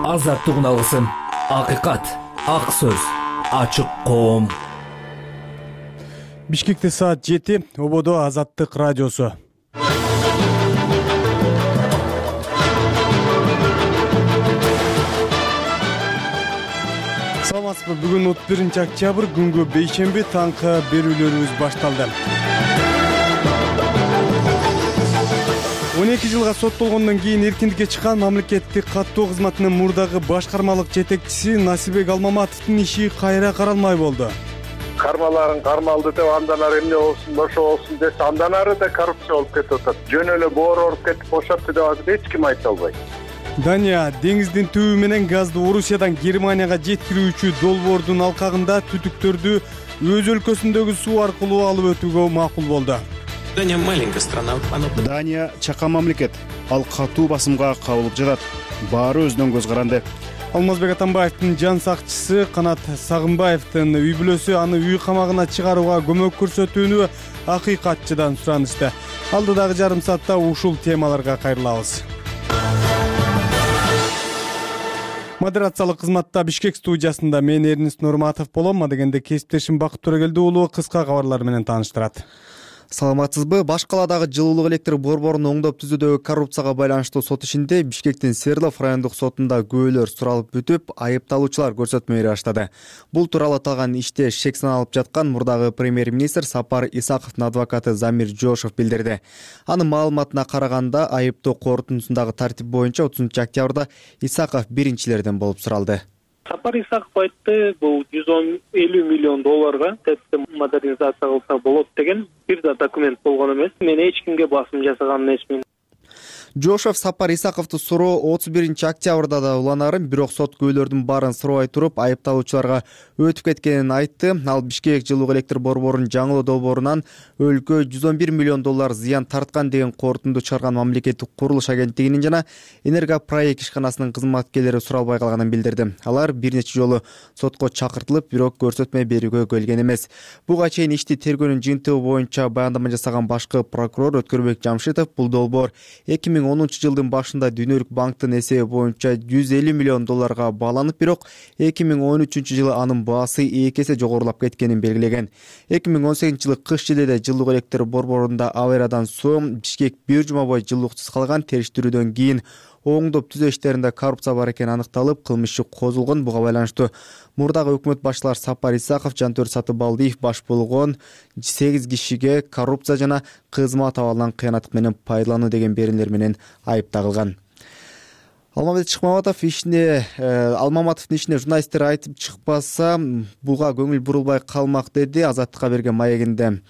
азаттык алгысым, акыйкат, ак сөз, ачык коом. Бишкекте саат 7, Ободо Азаттык радиосу. Саламатсызбы? Бүгүн 31 октябрь, күнгө бейшемби, таңкы берүүлөрүбүз башталды. 12 жылга соттолгондон кийин эркиндикке чыккан мамлекеттик каттоо кызматынын мурдагы башкармалык жетекчиси Насирбек Алмаматовдун иши кайра каралмай болду. Кармаларын кармалды деп андан ары эмне болсун, бошо болсун десе, андан ары да коррупция болуп кетип атат. Жөн эле боор оруп кетип бошотту деп азыр эч ким айта албайт. Дания деңиздин түбү менен газды Орусиядан Германияга жеткирүүчү долбоордун алкагында түтүктөрдү өз өлкөсүндөгү суу аркылуу алып өтүүгө макул болду. Дания маленькая страна. Дания чакан мамлекет. Ал катуу басымга кабылып жатат. Баары өзүнөн көз каранды. Алмазбек Атамбаевдин жан сакчысы Канат Сагынбаевдин үй бүлөсү аны үй камагына чыгарууга көмөк көрсөтүүнү акыйкатчыдан суранышты. Алдыдагы жарым саатта ушул темаларга кайрылабыз. Модерациялык кызматта Бишкек студиясында мен Эрнист Нурматов болом. Дегенде кесиптешим Бакыт Төрөгелди уулу кыска кабарлар менен тааныштырат. Саламатсызбы? Баш калаадагы жылуулук электр борборун оңдоп түзүүдөгү коррупцияга байланыштуу сот ишинде Бишкектин Свердлов райондук сотунда күбөлөр суралып бүтүп, айыпталуучулар көрсөтмө бере баштады. Бул тууралуу аталган иште шек саналып жаткан мурдагы премьер-министр Сапар Исаковдун адвокаты Замир Жошов билдирди. Анын маалыматына караганда, айыптоо корутундусундагы тартип боюнча 30 октябрда Исаков биринчилерден болуп суралды. Сапар Исаков айтты, бул 150 миллион долларга ТЭЦти модернизация кылса болот деген бир да документ болгон эмес. Мен эч кимге басым жасаган эмесмин. Жошов Сапар Исаковду суроо 31 октябрда да уланарын, бирок сот күбөлөрдүн баарын сурабай туруп, айыпталуучуларга өтүп кеткенин айтты. Ал Бишкек жылуулук электр борборунун жаңылоо долбоорунан өлкө 111 миллион доллар зыян тарткан деген корутунду чыгарган мамлекеттик курулуш агенттигинин жана Энергопроект ишканасынын кызматкерлери суралбай калганын билдирди. Алар бир нече жолу сотко чакыртылып, бирок көрсөтмө берүүгө келген эмес. Буга чейин ишти тергөөнүн жыйынтыгы боюнча баяндама жасаган башкы прокурор Өткөрбек Жамшитов бул долбоор 2010 жылдын башында Дүйнөлүк банктын эсеби боюнча 150 миллион долларга бааланып, бирок 2013 жылы анын баасы 2 эсе жогорулап кеткенин белгилеген. 2018 жылы кыш жилде жылуулук электр борборунда авариядан соң Бишкек бир жума бою жылуулуксуз калган. Териштирүүдөн кийин оңдоп түзөө иштеринде коррупция бар экени аныкталып, кылмыш иши козулгон. Буга байланыштуу мурдагы өкмөт башчылар Сапар Исаков, Жантөр Сатыбалдиев баш болгон 8 кишиге коррупция жана кызмат абалынан кыянаттык менен пайдалануу деген берүүлөр менен айып тагылган. Алмаматовдун ишине журналисттер айтып чыкпаса, буга көңүл бурулбай калмак деди Азаттыкка берген маегинде.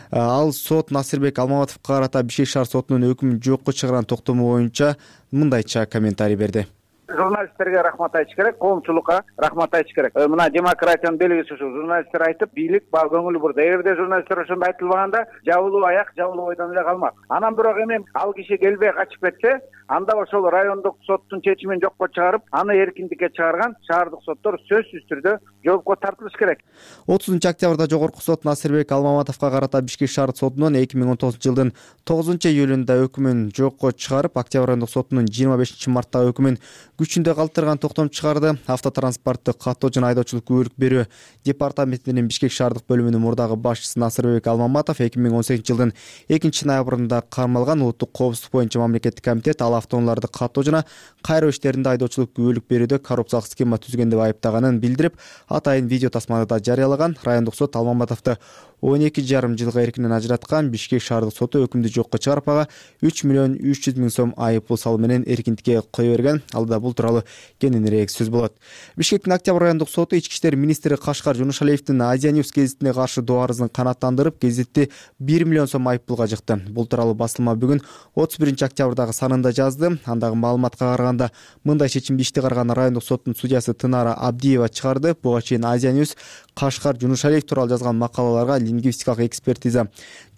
Ал сот Насирбек Алмаматовго карата Бишкек шаар сотунун өкүмүн жокко чыгарган токтому боюнча мындайча комментарий берди. Журналисттерге рахмат айтыш керек, коомчулукка рахмат айтыш керек. Мына демократиянын белгиси ушу. Журналисттер айтып, бийлик баа көңүл бурду. Эгерде журналисттер ошондо айтылбаганда, жабылуу аяк, жабылуу бойдон эле калмак. Анан бирок эми ал киши келбей качып кетсе, анда ошол райондук соттун чечимин жокко чыгарып, аны эркиндикке чыгарган шаардык соттор сөзсүз түрдө жоопко тартылыш керек. 30 октябрда жогорку сот Насирбек Алмаматовго карата Бишкек шаардык сотунун 2019 жылдын 9 июлунда өкүмүн жокко чыгарып, октябрь райондук сотунун 25 марттагы өкүмүн күчүндө калтырган токтом чыгарды. Автотранспортту каттоо жана айдоочулук күбөлүк берүү департаментинин Бишкек шаардык бөлүмүнүн мурдагы башчысы Насирбек Алмаматов 2018 жылдын 2 ноябрында кармалган. Улуттук коопсуздук боюнча мамлекеттик комитет ал автоунааларды каттоо жана кайроо иштеринде айдоочулук күбөлүк берүүдө коррупциялык схема түзгөн деп айыптаганын билдирип, атайын видео тасманы да жарыялаган. Райондук сот Алмаматовду 12,5 жылга эркинен ажыраткан. Бишкек шаардык соту өкүмдү жокко чыгарып, ага 3 миллион 300 миң сом айып пул салуу менен эркиндикке кое берген. Алда бул тууралуу кененирээк сөз болот. Бишкектин Октябрь райондук соту ички иштер министри Кашкар Жунушалиевдин Азия Ньюс гезитине каршы доо арызын канааттандырып, гезитти 1 миллион сом айып пулга жыкты. Бул тууралуу басылма бүгүн 31 октябрдагы санында жазды. Андагы маалыматка караганда, мындай чечимди ишти караган райондук соттун судьясы Тынара Абдиева чыгарды. Буга чейин Азия Ньюс Кашкар Жунушалиев тууралуу жазган макалаларга лингвистикалык экспертиза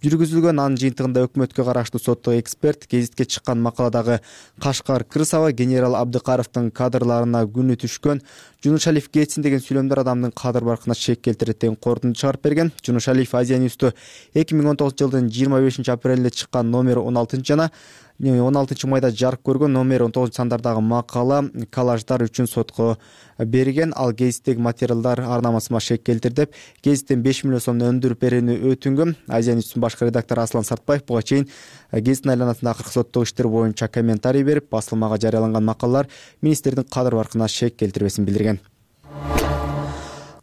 жүргүзүлгөн. Анын жыйынтыгында өкмөткө караштуу соттук эксперт гезитке чыккан макаладагы Кашкар Кырсава генерал Абдыкаровдун кадрларына күнү түшкөн Жунушалиев кетсин деген сүйлөмдөр адамдын кадыр баркына шек келтирет деген корутунду чыгарып берген. Жунушалиев Азия Ньюсту 2019 жылдын 25 апрелинде чыккан номер 16 жана 16 майда жарык көргөн номер 19 сандардагы макала коллаждар үчүн сотко берген. Ал гезиттеги материалдар ар намасыма шек келтир деп гезиттен 5 миллион сомдон өндүрүп берүүнү өтүнгөн. Азия Ньюстун башкы редактору Аслан Сартбаев буга чейин гезиттин айланасында акыркы соттук иштер боюнча комментарий берип, басылмага жарыяланган макалалар министрдин кадыр баркына шек келтирбесин билдирген.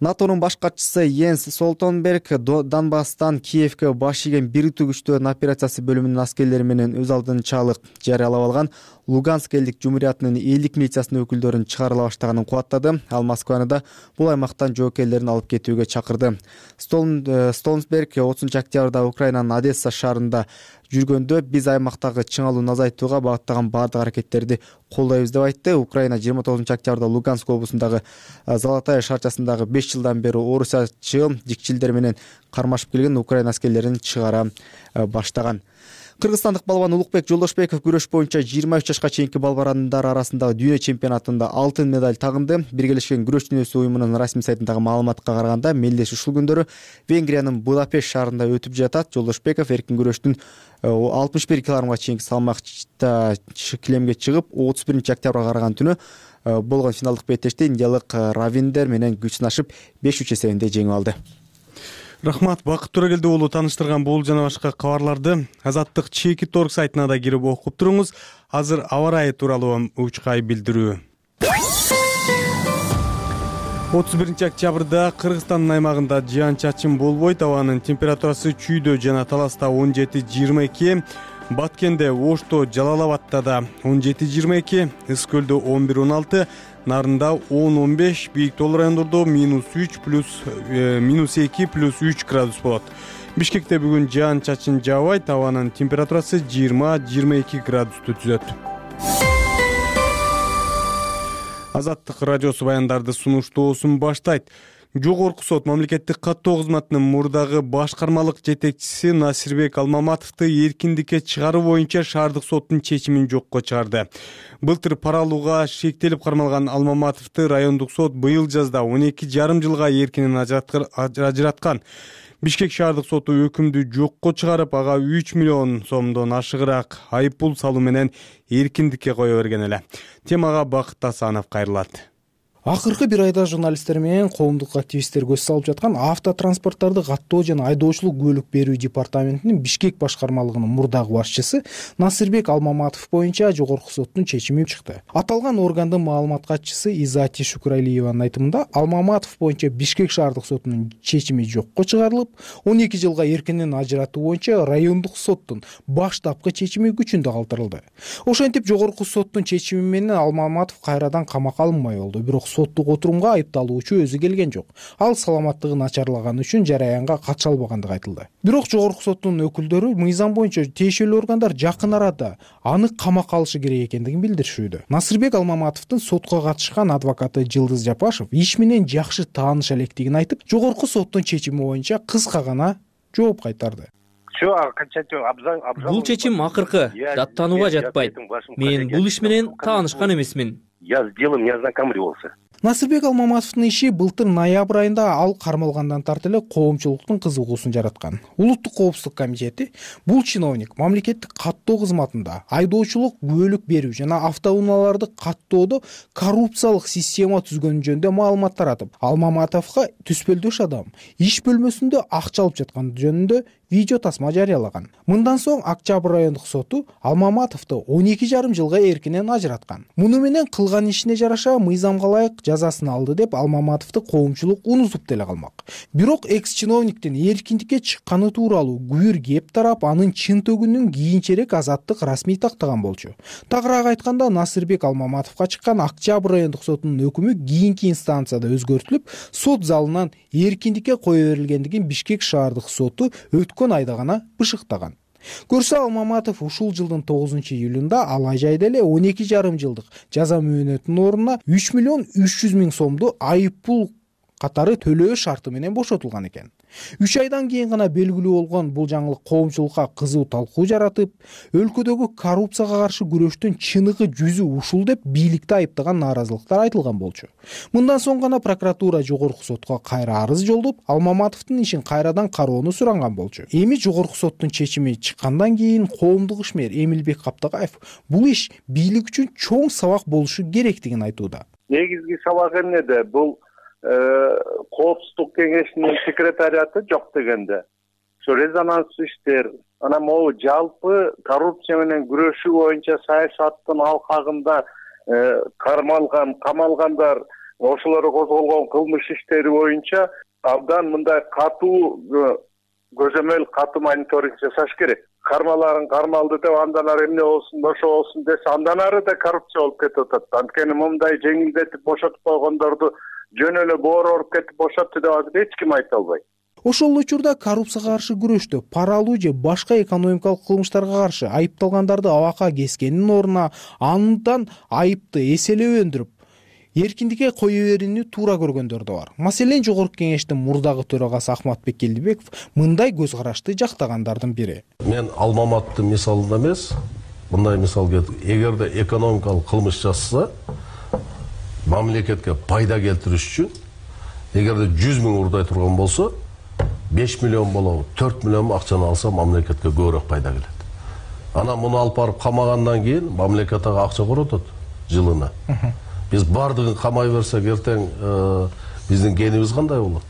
НАТОнун баш катчысы Йенс Столтенберг Донбасстан Киевке баш ийген бириктүү күчтөрдүн операциясы бөлүмүнүн аскерлери менен өз алдынчалык жарыялап алган Луганск элдик жумуриятынын элдик милициясынын өкүлдөрүн чыгарыла баштаганын кубаттады. Ал Москваны да бул аймактан жоокерлерин алып кетүүгө чакырды. Столтенберг 30 октябрда Украинанын Одесса шаарында жүргөндө биз аймактагы чыңалууну азайтууга багыттаган баардык аракеттерди колдойбуз деп айтты. Украина 29 октябрда Луганск облусундагы Золотая шаарчасындагы 5 жылдан бери орусча дикчилдер менен кармашып келген Украина аскерлерин чыгара баштаган. Кыргызстандык балбан Улукбек Жолдошбеков күрөш боюнча 23 жашка чейинки балбарандар арасындагы дүйнө чемпионатында алтын медаль тагынды. Биргелешкен күрөш дүйнөсү уюмунун расмий сайтындагы маалыматка караганда, мелдеш ушул күндөрү Венгриянын Будапешт шаарында өтүп жатат. Жолдошбеков эркин күрөштүн 61 килограммга чейинки салмакта килемге чыгып, 31 октябрга караган түнү болгон финалдык беттеште индиялык Равиндер менен күч сынашып 5-3 эсебинде жеңип алды. Рахмат, Бакыт Төрөгелди уулу тааныштырган бул жана башка кабарларды Азаттык Чеки Торг сайтына да кирип окуп туруңуз. Азыр аба ырайы тууралуу учкай билдирүү. 31 октябрда Кыргызстандын аймагында жаан-чачын болбойт. Абанын температурасы Чүйдө жана Таласта 17-22, Баткенде, Ошто, Жалалабадта да 17-22, Ыск-Көлдө 11-16, Нарында 10-15, бийик тол райондордо -3 -2 +3 градус болот. Бишкекте бүгүн жаан-чачын жаабайт, абанын температурасы 20-22 градусту түзөт. Азаттык радиосу баяндарды сунуштоосун баштайт. Жогорку сот мамлекеттик каттоо кызматынын мурдагы башкармалык жетекчиси Насирбек Алмаматовду эркиндикке чыгаруу боюнча шаардык соттун чечимин жокко чыгарды. Былтыр пара алууга шектелип кармалган Алмаматовду райондук сот быйыл жазда 12,5 жылга эркинен ажыраткан. Бишкек шаардык соту өкүмдү жокко чыгарып, ага 3 миллион сомдон ашыгыраак айып пул салуу менен эркиндикке кое берген эле. Темага Бакыт Асанов кайрылат. Акыркы бир айда журналисттер менен коомдук активисттер көз салып жаткан автотранспорттарды каттоо жана айдоочулук күбөлүк берүү департаментинин Бишкек башкармалыгынын мурдагы башчысы Насирбек Алмаматов боюнча жогорку соттун чечими чыкты. Аталган органдын маалымат катчысы Изати Шукуралиеванын айтымында, Алмаматов боюнча Бишкек шаардык сотунун чечими жокко чыгарылып, 12 жылга эркинен ажыратуу боюнча райондук соттун баштапкы чечими күчүндө калтырылды. Ошентип жогорку соттун чечими менен Алмаматов кайрадан камакка алынмай болду. Бирок соттук отурумга айыпталуучу өзү келген жок. Ал саламаттыгын начарлаганы үчүн жараянга катыша албагандыгы айтылды. Бирок жогорку соттун өкүлдөрү мыйзам боюнча тиешелүү органдар жакын арада аны камакка алышы керек экендигин билдиришүүдө. Насирбек Алмаматовдун сотко катышкан адвокаты Жылдыз Жапашев иш менен жакшы тааныша электигин айтып, жогорку соттун чечими боюнча кыска гана жооп кайтарды. Бул чечим акыркы, даттанууга жатпайт. Мен бул иш менен таанышкан эмесмин. Я с делом не ознакомливался. Насирбек Алмаматовдун иши былтыр ноябрь айында ал кармалгандан тарты эле коомчулуктун кызыгуусун жараткан. Улуттук коопсуздук комитети бул чиновник мамлекеттик каттоо кызматында айдоочулук күбөлүк берүү жана автоунааларды каттоодо коррупциялык система түзгөнү жөнүндө маалымат таратып, Алмаматовго түспөлдөш адам иш бөлмөсүндө акча алып жатканы жөнүндө видео тасма жарыялаган. Мындан соң Октябрь райондук соту Алмаматовду 12,5 жылга эркинен ажыраткан. Муну менен кылган ишине жараша мыйзамга ылайык жазасын алды деп Алмаматовду коомчулук унутуп деле калмак. Бирок экс-чиновниктин эркиндикке чыкканы тууралуу күбүр кеп тарап, анын чын төгүнүн кийинчерээк азаттык расмий тактаган болчу. Тагыраак айтканда, Насирбек Алмаматовго чыккан Октябрь райондук сотунун өкүмү кийинки инстанцияда өзгөртүлүп, сот залынан эркиндикке кое берилгендигин Бишкек шаардык соту өткөн айда гана бышыктаган. Көрсө Алмаматов ушул жылдын 9-июлунда алай жайда эле 12,5 жылдык жаза мөөнөтүнүн ордуна 3,3 миллион сомду айып пул катары төлөө шарты менен бошотулган экен. 3 айдан кийин гана белгилүү болгон бул жаңылык коомчулукка кызуу талкуу жаратып, өлкөдөгү коррупцияга каршы күрөштүн чыныгы жүзү ушул деп бийликти айыптаган нааразылыктар айтылган болчу. Мындан соң гана прокуратура жогорку сотко кайра арыз жолдоп, Алмаматовдун ишин кайрадан кароону суранган болчу. Эми жогорку соттун чечими чыккандан кийин коомдук ишмер Эмилбек Каптагаев бул иш бийлик үчүн чоң сабак болушу керектигин айтууда. Негизги сабак эмнеде? Бул коопсуздук кеңешинин секретариаты жок дегенде. Резонанстуу иштер, анан могу жалпы коррупция менен күрөшүү боюнча саясаттын алкагында камалгандар, ошолор козголгон кылмыш иштери боюнча абдан мындай катуу көзөмөл, катуу мониторинг жасаш керек. Кармаларын кармалды деп андан ары эмне болсун, ошо болсун десе, андан ары да коррупция болуп кетип атат. Анткени мындай жеңилдетип бошотуп койгондорду жөн эле боор кетип бошотту деп азыр эч ким айта албайт. Ошол учурда коррупцияга каршы күрөштө пара алуу же башка экономикалык кылмыштарга каршы айыпталгандарды абакка кескенин ордуна андан айыпты эселеп өндүрүп, эркиндикке кое берүүнү туура көргөндөр да бар. Маселен, Жогорку кеңештин мурдагы төрагасы Ахматбек Келдибеков мындай көз карашты жактагандардын бири. Мен Алмаматтын мисалында эмес, мындай мисал келтирdim. Эгерде экономикалык кылмыш жасаса, мамлекетке пайда келтириш үчүн эгерде 100 000 урдай турган болсо, 5 миллион болобу, 4 миллион акчаны алса мамлекетке көбүрөөк пайда келет. Анан муну алып барып камагандан кийин мамлекет ага акча коротот жылына. Биз бардыгын камай берсек, эртең биздин кенибиз кандай болот?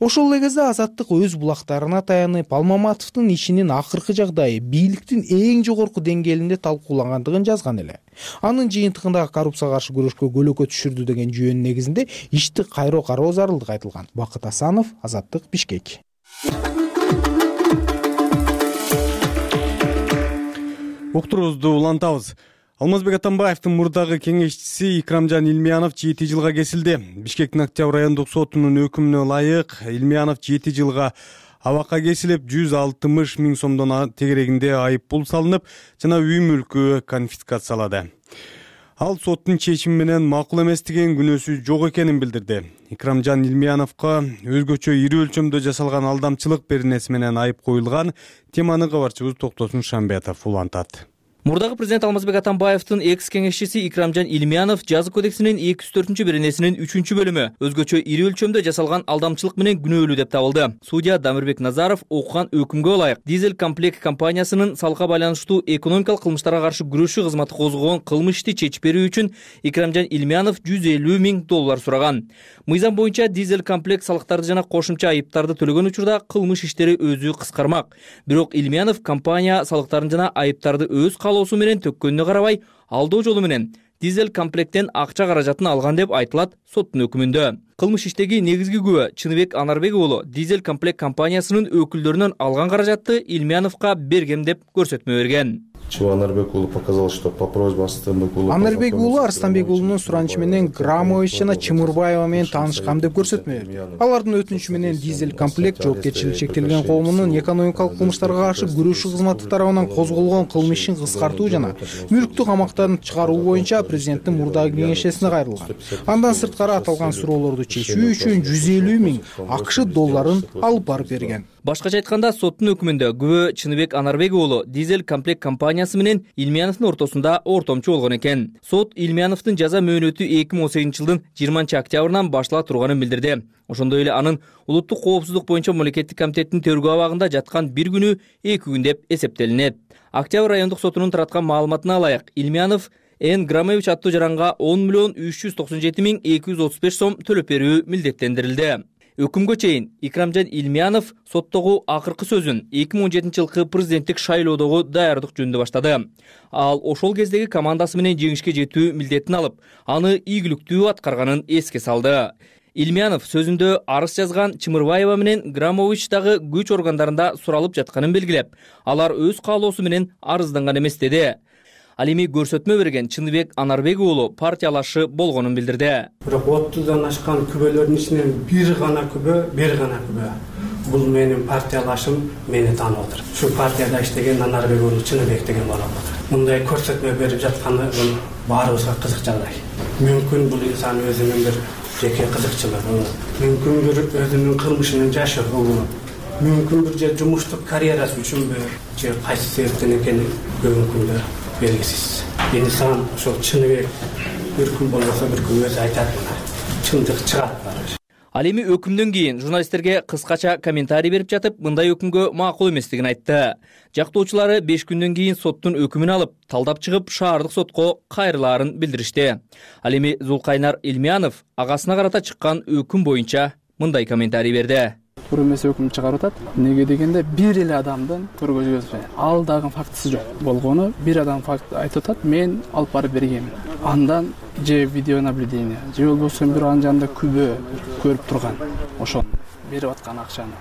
Ошол эле кезде Азаттык өз булактарына таянып, Алмаматовдун ишинин акыркы жагдайы бийликтин эң жогорку деңгээлинде талкуулангандыгын жазган эле. Анын жыйынтыгындагы коррупцияга каршы күрөшкө көлөкө түшүрдү деген жүйөнүн негизинде ишти кайра кароо зарылдыгы айтылган. Бакыт Асанов, Азаттык, Бишкек. Уктуруубузду улантабыз. Алмазбек Атамбаевдин мурдагы кеңешчиси Икрамжан Илмиянов 7 жылга кесилди. Бишкектин Октябрь райондук сотунун өкүмүнө ылайык Илмиянов 7 жылга абакка кесилип, 160 000 сомдон тегерегинде айып пул салынып, жана үй мүлкү конфискациялады. Ал соттун чечими менен макул эмес деген күнөөсү жок экенин билдирди. Икрамжан Илмияновго өзгөчө ири өлчөмдө жасалган алдамчылык беренеси менен айып коюлган. Теманы кабарчыбыз Токтосун Шамбетов улантат. Мурдагы президент Алмазбек Атамбаевдин экс кеңешчиси Икрамжан Илмиянов жаза кодексинин 204-беренесинин 3-бөлүмү өзгөчө ири өлчөмдө жасалган алдамчылык менен күнөөлүү деп табылды. Судья Дамирбек Назаров окуган өкүмгө ылайык Дизель комплект компаниясынын салыкка байланыштуу экономикалык кылмыштарга каршы күрөшүү кызматы козгогон кылмыш ишти чечип берүү үчүн Икрамжан Илмиянов $150 000 сураган. Мыйзам боюнча Дизель комплект салыктарды жана кошумча айыптарды төлөгөн учурда кылмыш иштери өзү кыскармак. Бирок Илмиянов компания салыктарын жана айыптарды өз каалоосу менен төккөнүнө карабай, алдоо жолу менен Дизель комплекттен акча каражатын алган деп айтылат соттун өкүмүндө. Кылмыш иштеги негизги күбө Чыныбек Анарбек уулу Дизель комплект компаниясынын өкүлдөрүнөн алган каражатты Илмияновго бергем деп көрсөтмө берген. Анарбек уулу показал, что по просьбе Арстанбек уулу Анарбек уулу Арстанбек уулунун суранычы менен Грамович жана Чымырбаева менен таанышкам деп көрсөтмө берди. Алардын өтүнүчү менен Дизель комплект жоопкерчилиги чектелген коомунун экономикалык кылмыштарга каршы күрөшүү кызматы тарабынан козголгон кылмыш ишин кыскартуу жана мүлктү камактан чыгаруу боюнча президенттин мурдагы кеңешчисине кайрылган. Андан сырткары аталган суроолорду чечүү үчүн $150 000 AQD алып барып берген. Башкача айтканда, соттун өкүмүндө күбө Чыныбек Анарбек уулу Дизель комплект компаниясы менен Илмияновдун ортосунда ортомчу болгон экен. Сот Илмияновдун жаза мөөнөтү 2018-жылдын 20 октябрынан баштала турганын билдирди. Ошондой эле анын улуттук коопсуздук боюнча мамлекеттик комитеттин тергөө абагында жаткан 1 күнү 2 күн деп эсептелинет. Октябрь райондук сотунун тараткан маалыматына ылайык Илмиянов Н. Грамович аттуу жаранга 10 397 235 сом төлөп берүү милдеттендирилди. Өкүмгө чейин Икрамжан Илмиянов соттогу акыркы сөзүн 2017-жылкы президенттик шайлоодогу даярдык жөнүндө баштады. Ал ошол кездеги командасы менен жеңишке жетүү милдетин алып, аны ийгиликтүү аткарганын эске салды. Илмиянов сөзүндө арыз жазган Чымырбаева менен Грамович дагы күч органдарында суралып жатканын белгилеп, алар өз каалоосу менен арызданган эмес деди. Ал эми көрсөтмө берген Чыныбек Анарбек уулу партиялашы болгонун билдирди. Бирок 30дан ашкан күбөлөрдүн ичинен бир гана күбө. Бул менин партиялашым мени таанып отур. Ушу партияда иштеген Анарбек уулу Чыныбек деген болуп отур. Мындай көрсөтмө берип жатканы баарыбызга кызык жагдай. Мүмкүн бул инсан өзүнүн бир жеке кызыкчылыгы, мүмкүн бир өзүнүн кылмышын жашыруу, мүмкүн бир же жумуштук карьерасы үчүнбү же кайсы себептен экени бүгүнкү күндө белгисиз. Инсан ошол чыныбек бир күн болбосо бир күн өзү айтат, мына чындык чыгат. Ал эми өкүмдөн кийин журналисттерге кыскача комментарий берип жатып, мындай өкүмгө макул эместигин айтты. Жактоочулары 5 күндөн кийин соттун өкүмүн алып, талдап чыгып, шаардык сотко кайрылаарын билдиришти. Ал эми Зулкайнар Илмиянов агасына карата чыккан өкүм боюнча мындай комментарий берди. Туура эмес өкүм чыгарып атат. Неге дегенде бир эле адамдын көргөзмөсү. Ал дагы фактысы жок болгону бир адам факт айтып атат, мен алып барып бергенмин. Андан же видеонаблюдение, же болбосо бир анын жанында күбө көрүп турган, ошону берип аткан акчаны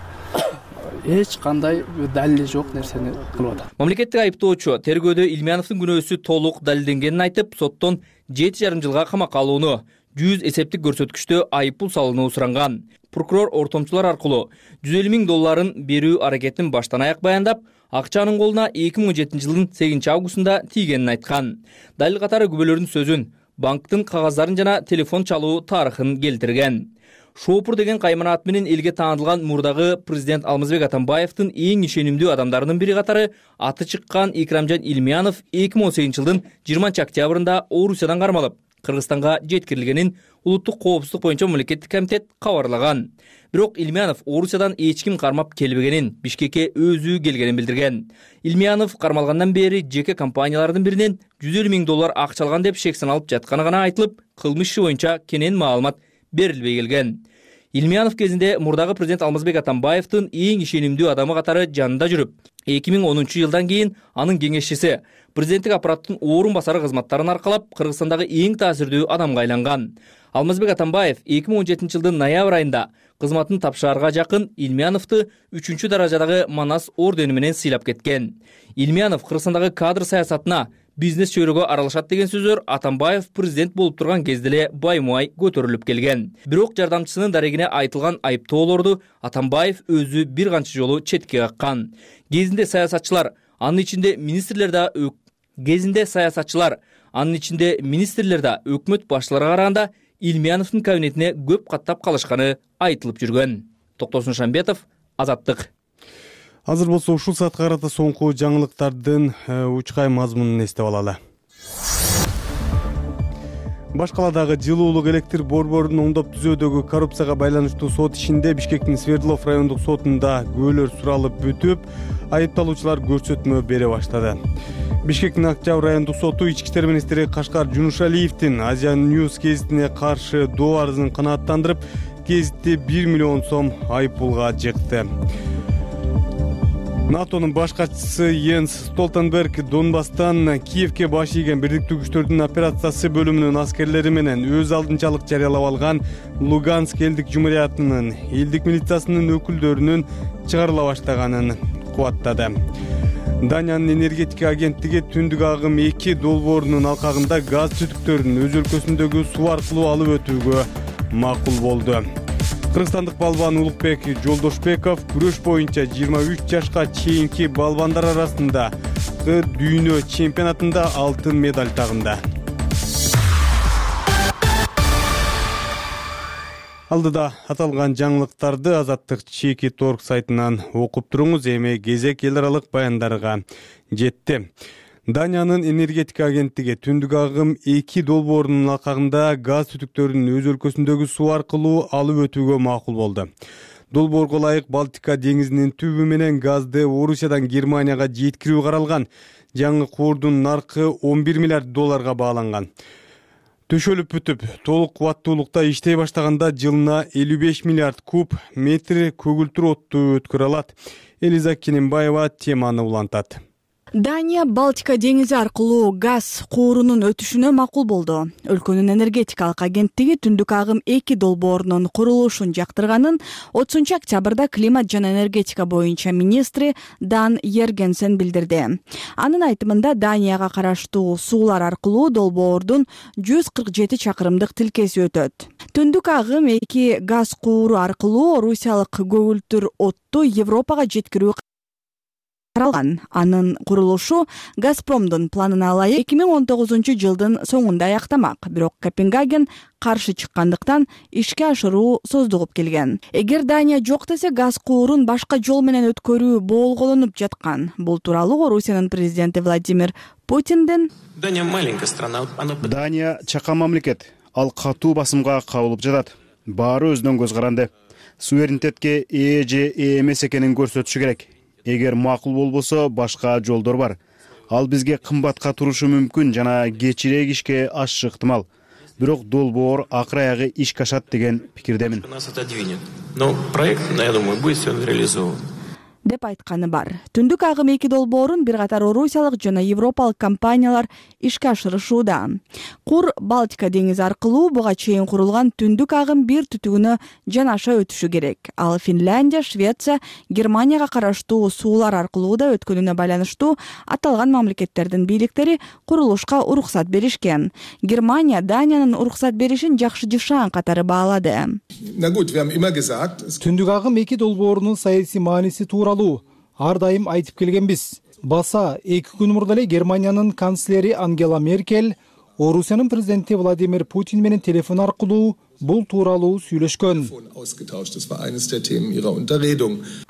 эч кандай далили жок нерсени кылып атат. Мамлекеттик айыптоочу тергөөдө Илмияновдун күнөөсү толук далилденгенин айтып, соттон 7,5 жылга камакка алууну, 100 эсептик көрсөткүчтө айыппул салууну суранган. Прокурор ортомчулар аркылуу $150 000 берүү аракетин баштан аяк баяндап, акчанын колуна 2017 жылдын 8 августунда тийгенин айткан. Далил катары күбөлөрдүн сөзүн, банктын кагаздарын жана телефон чалуу тарыхын келтирген. Шопур деген каймана ат менен элге таанылган мурдагы президент Алмазбек Атамбаевдин эң ишенимдүү адамдарынын бири катары аты чыккан Икрамжан Илмиянов 2018 жылдын 20 октябрында Орусиядан кармалып, Кыргызстанга жеткирилгенин улуттук коопсуздук боюнча мамлекеттик комитет кабарлаган. Бирок Илмиянов Орусиядан эч ким кармап келбегенин, Бишкекке өзү келгенин билдирген. Илмиянов кармалгандан бери жеке компаниялардын биринен $150 000 акча алган деп шек саналып жатканы гана айтылып, кылмыш иши боюнча кенен маалымат берилбей келген. Илмиянов кезинде мурдагы президент Алмазбек Атамбаевдин эң ишенимдүү адамы катары жанында жүрүп, 2010 жылдан кийин анын кеңешчиси, президенттик аппараттын орун басары кызматтарын аркалап, Кыргызстандагы эң таасирдүү адамга айланган. Алмазбек Атамбаев 2017 жылдын ноябрь айында кызматын тапшыраарга жакын Илмияновду 3 даражадагы Манас ордени менен сыйлап кеткен. Илмиянов Кыргызстандагы кадр саясатына, бизнес чөйрөгө аралашат деген сөздөр Атамбаев президент болуп турган кезде эле баймай көтөрүлүп келген. Бирок жардамчысынын дарегине айтылган айыптоолорду Атамбаев өзү бир канча жолу четке каккан. Кезинде саясатчылар, анын ичинде министрлер да өкмөт башчыларына караганда Илмияновдун кабинетине көп каттап калышканы айтылып жүргөн. Токтосун Шамбетов, Азаттык. Азыр болсо ушул саатка карата соңку жаңылыктардын учкай мазмунун эстеп алалы. Баш каладагы жылуулук электр борборунун оңдоп түзөөдөгү коррупцияга байланыштуу сот ишинде Бишкектин Свердлов райондук сотунда күбөлөр суралып бүтүп, айыпталуучулар көрсөтмө бере баштады. Бишкектин Октябрь райондук соту ички иштер министри Кашкар Жунушалиевдин Азия News гезитине каршы доо арызын канааттандырып, гезитти 1 миллион сом айыппулга жыкты. НАТОнун баш катчысы Йенс Столтенберг Донбасстан Киевке баш ийген бирдиктүү күчтөрдүн операциясы бөлүмүнүн аскерлери менен өз алдынчалык жарыялап алган Луганск элдик жумуриятынын элдик милициясынын өкүлдөрүнүн чыгарыла баштаганын кубаттады. Даниянын энергетика агенттиги Түндүк агым 2 долбоорунун алкагында газ түтүктөрүн өз өлкөсүндөгү суу аркылуу алып өтүүгө макул болду. Кыргызстандык балбан Улукбек Жолдошбеков күрөш боюнча 23 жашка чейинки балбандар арасында дүйнө чемпионатында алтын медаль тагынды. Алдыда аталган жаңылыктарды Азаттык чеки торг сайтынан окуп туруңуз. Эми кезек эл аралык баяндарга жетти. Даниянын энергетика агенттиги Түндүк агым 2 долбоорунун алкагында газ түтүктөрүн өз өлкөсүндөгү суу аркылуу алып өтүүгө макул болду. Долбоорго ылайык Балтика деңизинин түбү менен газды Орусиядан Германияга жеткирүү каралган. Жаңы куурдун наркы $11 миллиард бааланган. Төшөлүп бүтүп, толук кубаттуулукта иштей баштаганда жылына 55 миллиард куб метр көгүлтүр отту өткөрө алат. Элиза Кененбаева теманы улантат. Дания Балтика деңизи аркылуу газ куурунун өтүшүнө макул болду. Өлкөнүн энергетикалык агенттиги Түндүк агым 2 долбоорунун курулушун жактырганын 30 октябрда климат жана энергетика боюнча министри Дан Йергенсен билдирди. Анын айтымында Данияга караштуу суулар аркылуу долбоордун 147 чакырымдык тилкеси өтөт. Түндүк агым 2 газ кууру аркылуу Орусиялык көгүлтүр отту Европага жеткирүү каралган. Анын курулушу Газпромдун планына ылайык 2019-жылдын соңунда аяктамак. Бирок Копенгаген каршы чыккандыктан ишке ашыруу создугуп келген. Эгер Дания жок десе, газ куурун башка жол менен өткөрүү боолголонуп жаткан. Бул тууралуу Орусиянын президенти Владимир Путиндин Дания маленькая страна. Дания чакан мамлекет. Ал катуу басымга кабылып жатат. Баары өзүнөн көз каранды. Суверенитетке ээ же ээ эмес экенин көрсөтүшү керек. Эгер макул болбосо, башка жолдор бар. Ал бизге кымбатка турушу мүмкүн жана кечирээк ишке ашышы ыктымал. Бирок долбоор акыр аягы ишке ашат деген пикирдемин. Нас отодвинет. Но проект, я думаю, будет все реализован. деп айтканы бар. Түндүк агым 2 долбоорун бир катар орусиялык жана европалык компаниялар ишке ашырышууда. Кур Балтика деңизи аркылуу буга чейин курулган түндүк агым 1 түтүгүнө жанаша өтүшү керек. Ал Финляндия, Швеция, Германияга караштуу суулар аркылуу да өткөнүнө байланыштуу аталган мамлекеттердин бийликтери курулушка уруксат беришкен. Германия Даниянын уруксат беришин жакшы жышаан катары баалады. Түндүк агым 2 долбоорунун саясий мааниси тууралуу ар дайым айтып келгенбиз. Баса 2 күн мурда эле Германиянын канцлери Ангела Меркель Орусиянын президенти Владимир Путин менен телефон аркылуу бул тууралуу сүйлөшкөн.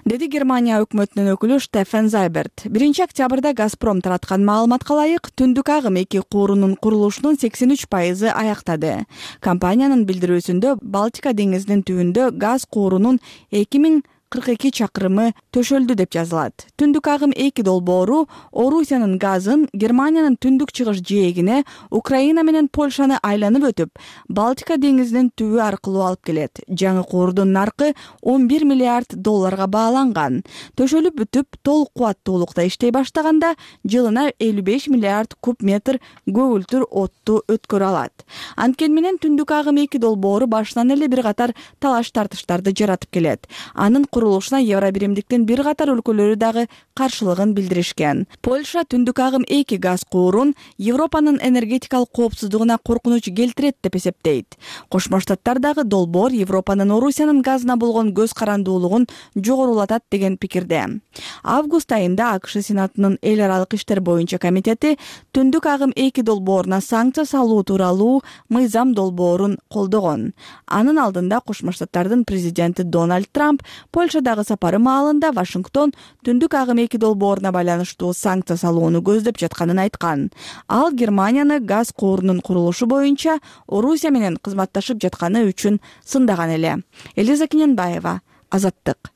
Деди Германия өкмөтүнүн өкүлү Штефен Зайберт. 1-октябрда Газпром тараткан маалыматка ылайык, түндүк агым 2 куурунун курулушунун 83% аяктады. Компаниянын билдирүүсүндө Балтика деңизинин түбүндө газ куурунун 2042 чакырымы төшөлдү деп жазылат. Түндүк агым 2 долбоору Орусиянын газын Германиянын түндүк чыгыш жээгине, Украина менен Польшаны айланып өтүп, Балтика деңизинин түбү аркылуу алып келет. Жаңы куурдун наркы $11 миллиард бааланган. Төшөлүп бүтүп, толук кубаттуулукта иштей баштаганда жылына 55 миллиард куб метр көгүлтүр отту өткөрө алат. Анткени менен түндүк агым 2 долбоору башынан эле бир катар талаш тартыштарды жаратып келет. Анын курулушуна Евробиримдиктин бир катар өлкөлөрү дагы каршылыгын билдиришкен. Польша түндүк агым 2 газ куурун Европанын энергетикалык коопсуздугуна коркунуч келтирет деп эсептейт. Кошмо Штаттар дагы долбоор Европанын Орусиянын газына болгон көз карандуулугун жогорулатат деген пикирде. Август айында АКШ Сенатынын эл аралык иштер боюнча комитети түндүк агым 2 долбооруна санкция салуу тууралуу мыйзам долбоорун колдогон. Анын алдында Кошмо Штаттардын президенти Дональд Трамп Польшадагы сапары маалында Вашингтон түндүк агым 2 долбооруна байланыштуу санкция салууну көздөп жатканын айткан. Ал Германияны газ куурунун курулушу боюнча Орусия менен кызматташып жатканы үчүн сындаган эле. Элиза Кененбаева, Азаттык.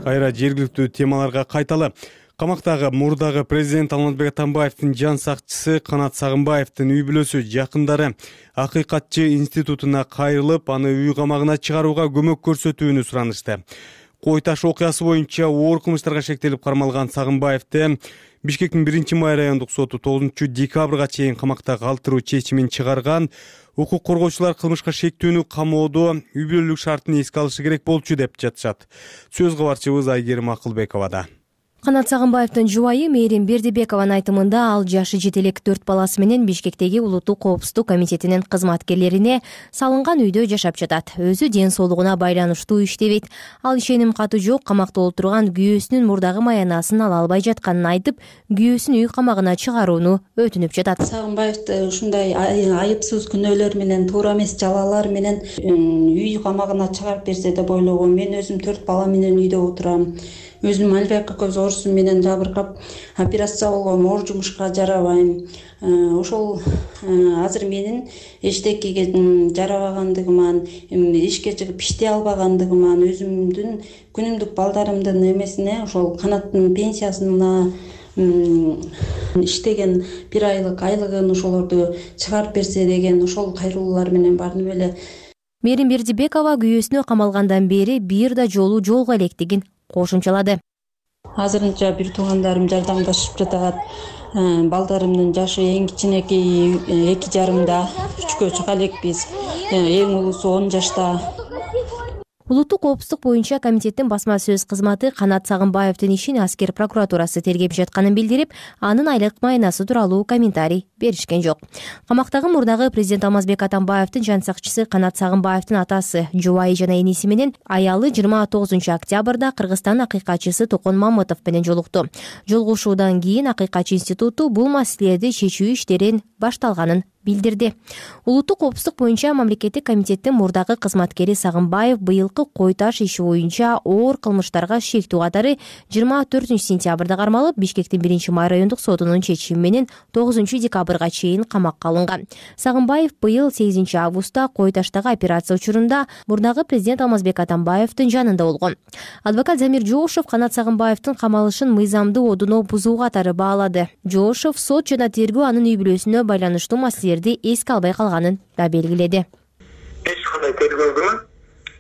Кайра жергиликтүү темаларга кайталы. Камактагы мурдагы президент Алмазбек Атамбаевдин жан сакчысы Канат Сагынбаевдин үй бүлөсү жакындары Акыйкатчы институтуна кайрылып, аны үй камагына чыгарууга көмөк көрсөтүүнү суранышты. Кой таш окуясы боюнча оор кылмыштарга шектелип кармалган Сагынбаевди Бишкектин 1-май райондук соту 9-декабрга чейин камакта калтыруу чечимин чыгарган. Укук коргоочулар кылмышка шектүүнү камоодо үй бүлөлүк шартын эске алышы керек болчу деп жатышат. Сөз кабарчыбыз Айгерим Акылбековада. Канат Сагынбаевдин жубайы Мээрим Бердибекованын айтымында ал жашы жете элек 4 баласы менен Бишкектеги Улуттук коопсуздук комитетинин кызматкерлерине салынган үйдө жашап жатат. Өзү ден соолугуна байланыштуу иштебейт. Ал ишеним каты жок, камакта отурган күйөөсүнүн мурдагы маянасын ала албай жатканын айтып, күйөөсүн үй камагына чыгарууну өтүнүп жатат. Сагынбаевди ушундай айыпсыз күнөөлөр менен, туура эмес жалалар менен үй камагына чыгарып берсе деп ойлогом. Мен өзүм 4 бала менен үйдө отурам. Өзүм альбек көз оорусу менен жабыркап операция болгом, оор жумушка жарабайм. Ошол азыр менин эчтекеге жарабагандыгыман, ишке чыгып иштей албагандыгыман, өзүмдүн күнүмдүк балдарымдын эмесине, ошол Канаттын пенсиясына иштеген 1 айлык айлыгын ошолорду чыгарып берсе деген ошол кайрылуулар менен бардым эле. Мээрим Бердибекова күйөөсүнө камалгандан бери бир да жолу жолго электигин кошумчалады. Азырынча бир туугандарым жардамдашып жатат. Балдарымдын жашы эң кичинеки 2,5 3кө чыга элекпиз. Эң улуусу 10 жашта. улуттук коопсуздук боюнча комитеттин басма сөз кызматы Канат Сагынбаевдин ишин аскер прокуратурасы тергеп жатканын билдирип, анын айлык майнасы тууралуу комментарий беришкен жок. Камактагы мурдагы президент Алмазбек Атамбаевдин жан сакчысы Канат Сагынбаевдин атасы, жубайы жана эниси менен аялы 29 октябрда Кыргызстан акыйкатчысы Токон Мамытов менен жолукту. Жолугушуудан кийин акыйкатчы институту бул маселелерди чечүү иштерин башталганын билдирди. Улуттук коопсуздук боюнча мамлекеттик комитеттин мурдагы кызматкери Сагынбаев быйылкы кой таш иши боюнча оор кылмыштарга шектүү катары 24 сентябрда кармалып, Бишкектин 1-май райондук сотунун чечими менен 9 декабрга чейин камакка алынган. Сагынбаев быйыл 8 августта кой таштагы операция учурунда мурдагы президент Алмазбек Атамбаевдин жанында болгон. Адвокат Замир Жоошев Канат Сагынбаевдин камалышын мыйзамдуу одуно бузуу катары баалады. Жоошев сот жана тергөө анын үй бүлөсүнө байланыштуу маселелерди эске албай калганын да белгиледи. Эч кандай тергөөгө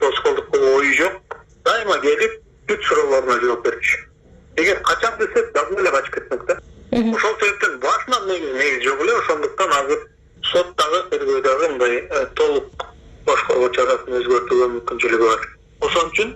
тоскоолдук кылуу ою жок. Дайыма келип, бүт суроолоруна жооп берчү. Эгер качам десе, дагы эле качып кетмек да. Ошол себептен башынан негизи жок эле, ошондуктан азыр соттагы тергөөдөгү мындай толук башкаруу чарасын өзгөртүүгө мүмкүнчүлүгү бар. Ошон үчүн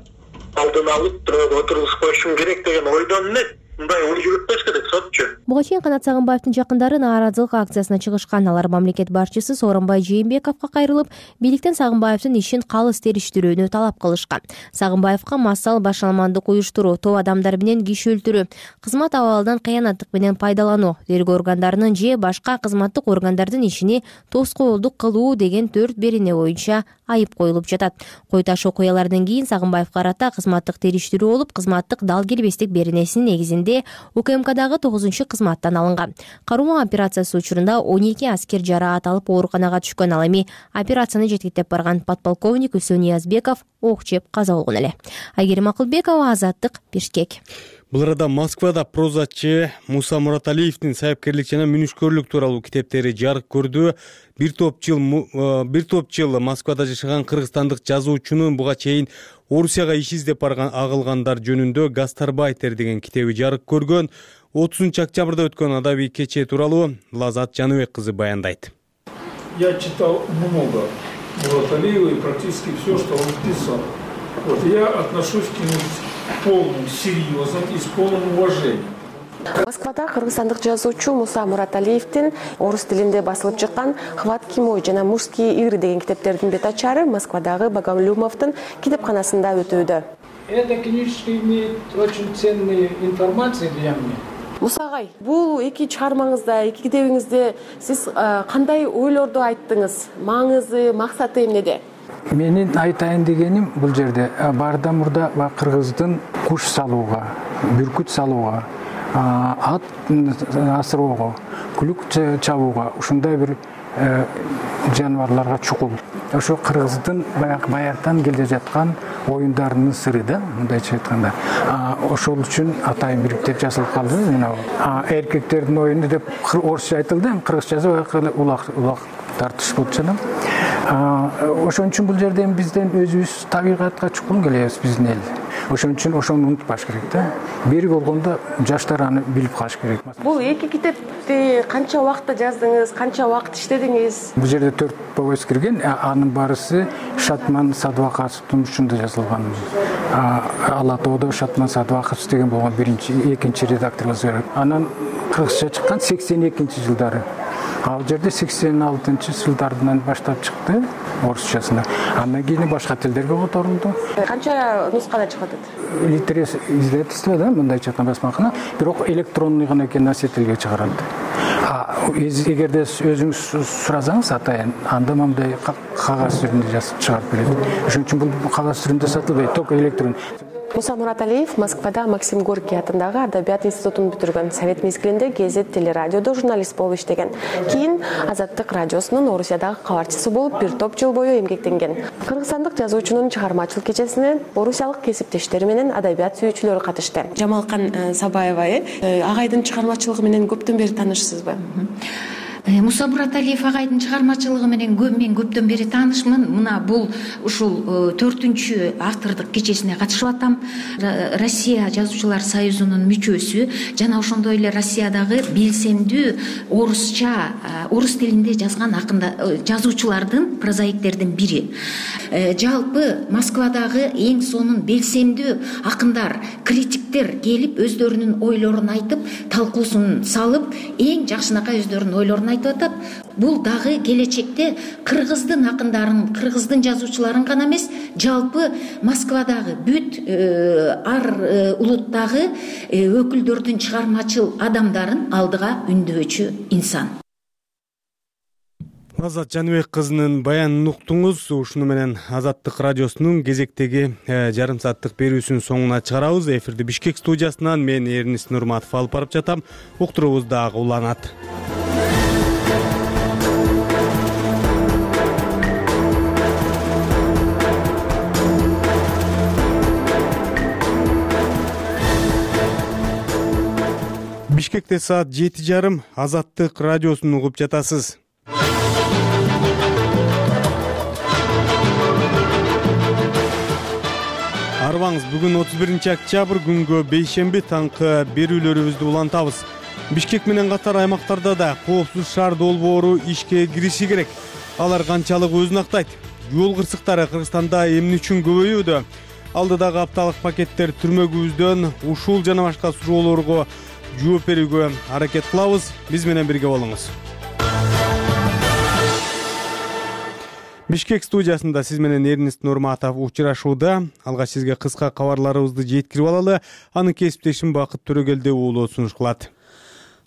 алдын алып отургузуп коюшум керек деген ойдон эмес. Мындай ой жүрүтпөш керек сотчу. Буга чейин Канат Сагынбаевдин жакындары нааразылык акциясына чыгышкан. Алар мамлекет башчысы Сооронбай Жээнбековго кайрылып, бийликтен Сагынбаевдин ишин калыс териштирүүнү талап кылышкан. Сагынбаевга массал башаламандык уюштуруу, топ адамдар менен киши өлтүрүү, кызмат абалынан кыянаттык менен пайдалануу, тергөө органдарынын же башка кызматтык органдардын ишини тоскоолдук кылуу деген 4 берене боюнча айып коюлуп жатат. Кой таш окуялардан кийин Сагынбаевга карата кызматтык териштирүү болуп, кызматтык дал келбестик беренесинин негизинде УКМКдагы 9-кызматтан алынган. Каруу операциясы учурунда 12 аскер жараат алып ооруканага түшкөн. Ал эми операцияны жетектеп барган подполковник Үсөн Ниязбеков ок жеп каза болгон эле. Айгерим Акылбекова, Азаттык, Бишкек. Бул арада Москвада прозачы Муса Мураталиевдин сайыпкерлик жана мүнүшкөрлүк тууралуу китептери жарык көрдү. Бир топ жыл Москвада жашаган кыргызстандык жазуучунун буга чейин Орусияга иш издеп барган агылгандар жөнүндө Гастарбайтер деген китеби жарык көргөн. 30 октябрда өткөн адабий кече тууралуу Лазат Жаныбек кызы баяндайт. Я читал много Мураталиева и практически все, что он писал. Вот я отношусь к нему с полным серьезом и с полным уважением. Москвада кыргызстандык жазуучу Муса Мураталиевдин орус тилинде басылып чыккан «Хватки мой» жана «Мужские игры» деген китептердин бет ачары Москвадагы Багамлюмовдун китепканасында өтүүдө. Эта книжка имеет очень ценные информации для меня. Муса агай, бул эки чыгармаңызда, эки китебиңизде сиз кандай ойлорду айттыңыз? Маңызы, максаты эмнеде? Менин айтайын дегеним бул жерде барда мурда кыргыздын куш салууга, бүркүт салууга, ат асыроого, күлүк чабууга, ушундай бир жаныбарларга чукул. Ошо кыргыздын баягытан келе жаткан оюндарынын сыры да, мындайча айтканда. Ошол үчүн атайын бириктеп жазылып калды мына. Эркектердин оюну деп орусча айтылды, кыргызчасы улак тартыш болуп жатат. Ошон үчүн бул жерде бизден өзүбүз табигатка чукул келебиз биздин эл. Ошон үчүн ошону унутпаш керек да. Бери болгондо жаштар аны билип калыш керек. Бул эки китепти канча убакытта жаздыңыз, канча убакыт иштедиңиз? Бул жерде 4 повесть кирген, анын барысы Шатман Садвакасовдун учунда жазылган. Ала тоодо Шатман Садвакасов деген болгон экинчи редакторубуз бар. Анан кыргызча чыккан 82-жылдары. Ал жерде 86-жылдардан баштап чыкты орусчасына. Андан кийин башка тилдерге которулду. Канча нускада чыгып атат? Литерес издательство да, мындайча айтканда басмакана, бирок электронный гана экен носительге чыгарылды. Эгерде өзүңүз суразаңыз атайын, анда мындай кагаз түрүндө жазып чыгарып берет. Ошон үчүн бул кагаз түрүндө сатылбайт, только электрон. Муса Мураталиев Москвада Максим Горький атындагы Адабият институтун бүтүргөн. Совет мезгилинде Гезет телерадиодо журналист болуп иштеген. Кийин Азаттык радиосунун Орусиядагы кабарчысы болуп бир топ жыл бою эмгектенген. Кыргызстандык жазуучунун чыгармачылык кечесине орусиялык кесиптештери менен адабият сүйүүчүлөр катышты. Жамалкан Сабаева агайдын чыгармачылыгы менен көптөн бери таанышсызбы? Муса Бураталиев агайдын чыгармачылыгы менен мен көптөн бери таанышмын. Мына бул ушул 4-чү автордук кечесине катышып атам. Россия жазуучулар союзунун мүчөсү жана ошондой эле Россиядагы белсендүү орус тилинде жазган жазуучулардын, прозаиктердин бири. Жалпы Москвадагы эң сонун белсендүү акындар, критиктер келип өздөрүнүн ойлорун айтып, талкуусун салып, эң жакшынакай өздөрүнүн ойлорун айтып атат. Бул дагы келечекте кыргыздын акындарын, кыргыздын жазуучуларын гана эмес, жалпы Москвадагы бүт ар улуттагы өкүлдөрдүн, чыгармачыл адамдарын алдыга үндөчү инсан. Азат Жаныбек кызынын баянын уктуңуз. Ушуну менен Азаттык радиосунун кезектеги жарым сааттык берүүсүнүн соңуна чыгарабыз. Эфирди Бишкек студиясынан мен Эрнис Нурматов алып барып жатам. Уктуруубуз дагы уланат. Бишкекте саат 7:30. Азаттык радиосун угуп жатасыз. Арбаңыз, бүгүн 31-октябрь күнгө бейшемби таңкы берүүлөрүбүздү улантабыз. Бишкек менен катар аймактарда да коопсуз шаар долбоору ишке кириши керек. Алар канчалык өзүн актайт? Жол кырсыктары Кыргызстанда эмне үчүн көбөйүүдө? Алдыдагы апталык пакеттер түрмөгүбүздөн ушул жана башка суроолорго жооп берүүгө аракет кылабыз. Биз менен бирге болуңуз. Бишкек студиясында сиз менен Эрнис Нурматов учурашууда. Алгач сизге кыска кабарларыбызды жеткирип алалы. Анын кесиптешим Бакыт Төрөгелди уулу сунуш кылат.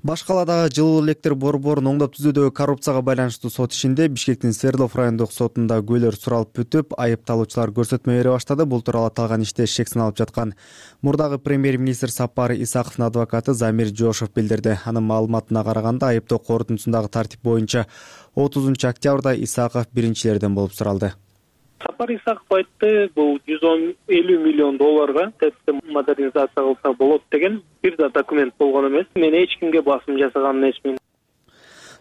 Башкаладагы жылуу электр борборун оңдоп түзүүдөгү коррупцияга байланыштуу сот ишинде Бишкектин Свердлов райондук сотунда күйлөр суралып бүтүп, айыпталуучулар көрсөтмө бере баштады. Бул тууралуу аталган иште шек сыналып жаткан мурдагы премьер-министр Сапар Исаковдун адвокаты Замир Жошов билдирди. Анын маалыматына караганда, айыптоо корутундусундагы тартип боюнча 30-октябрда Исаков биринчилерден болуп суралды. Сапар Исаков айтты, бул 150 миллион долларга ТЭЦти модернизация кылса болот деген бир да документ болгон эмес. Мен эч кимге басым жасаган эмесмин.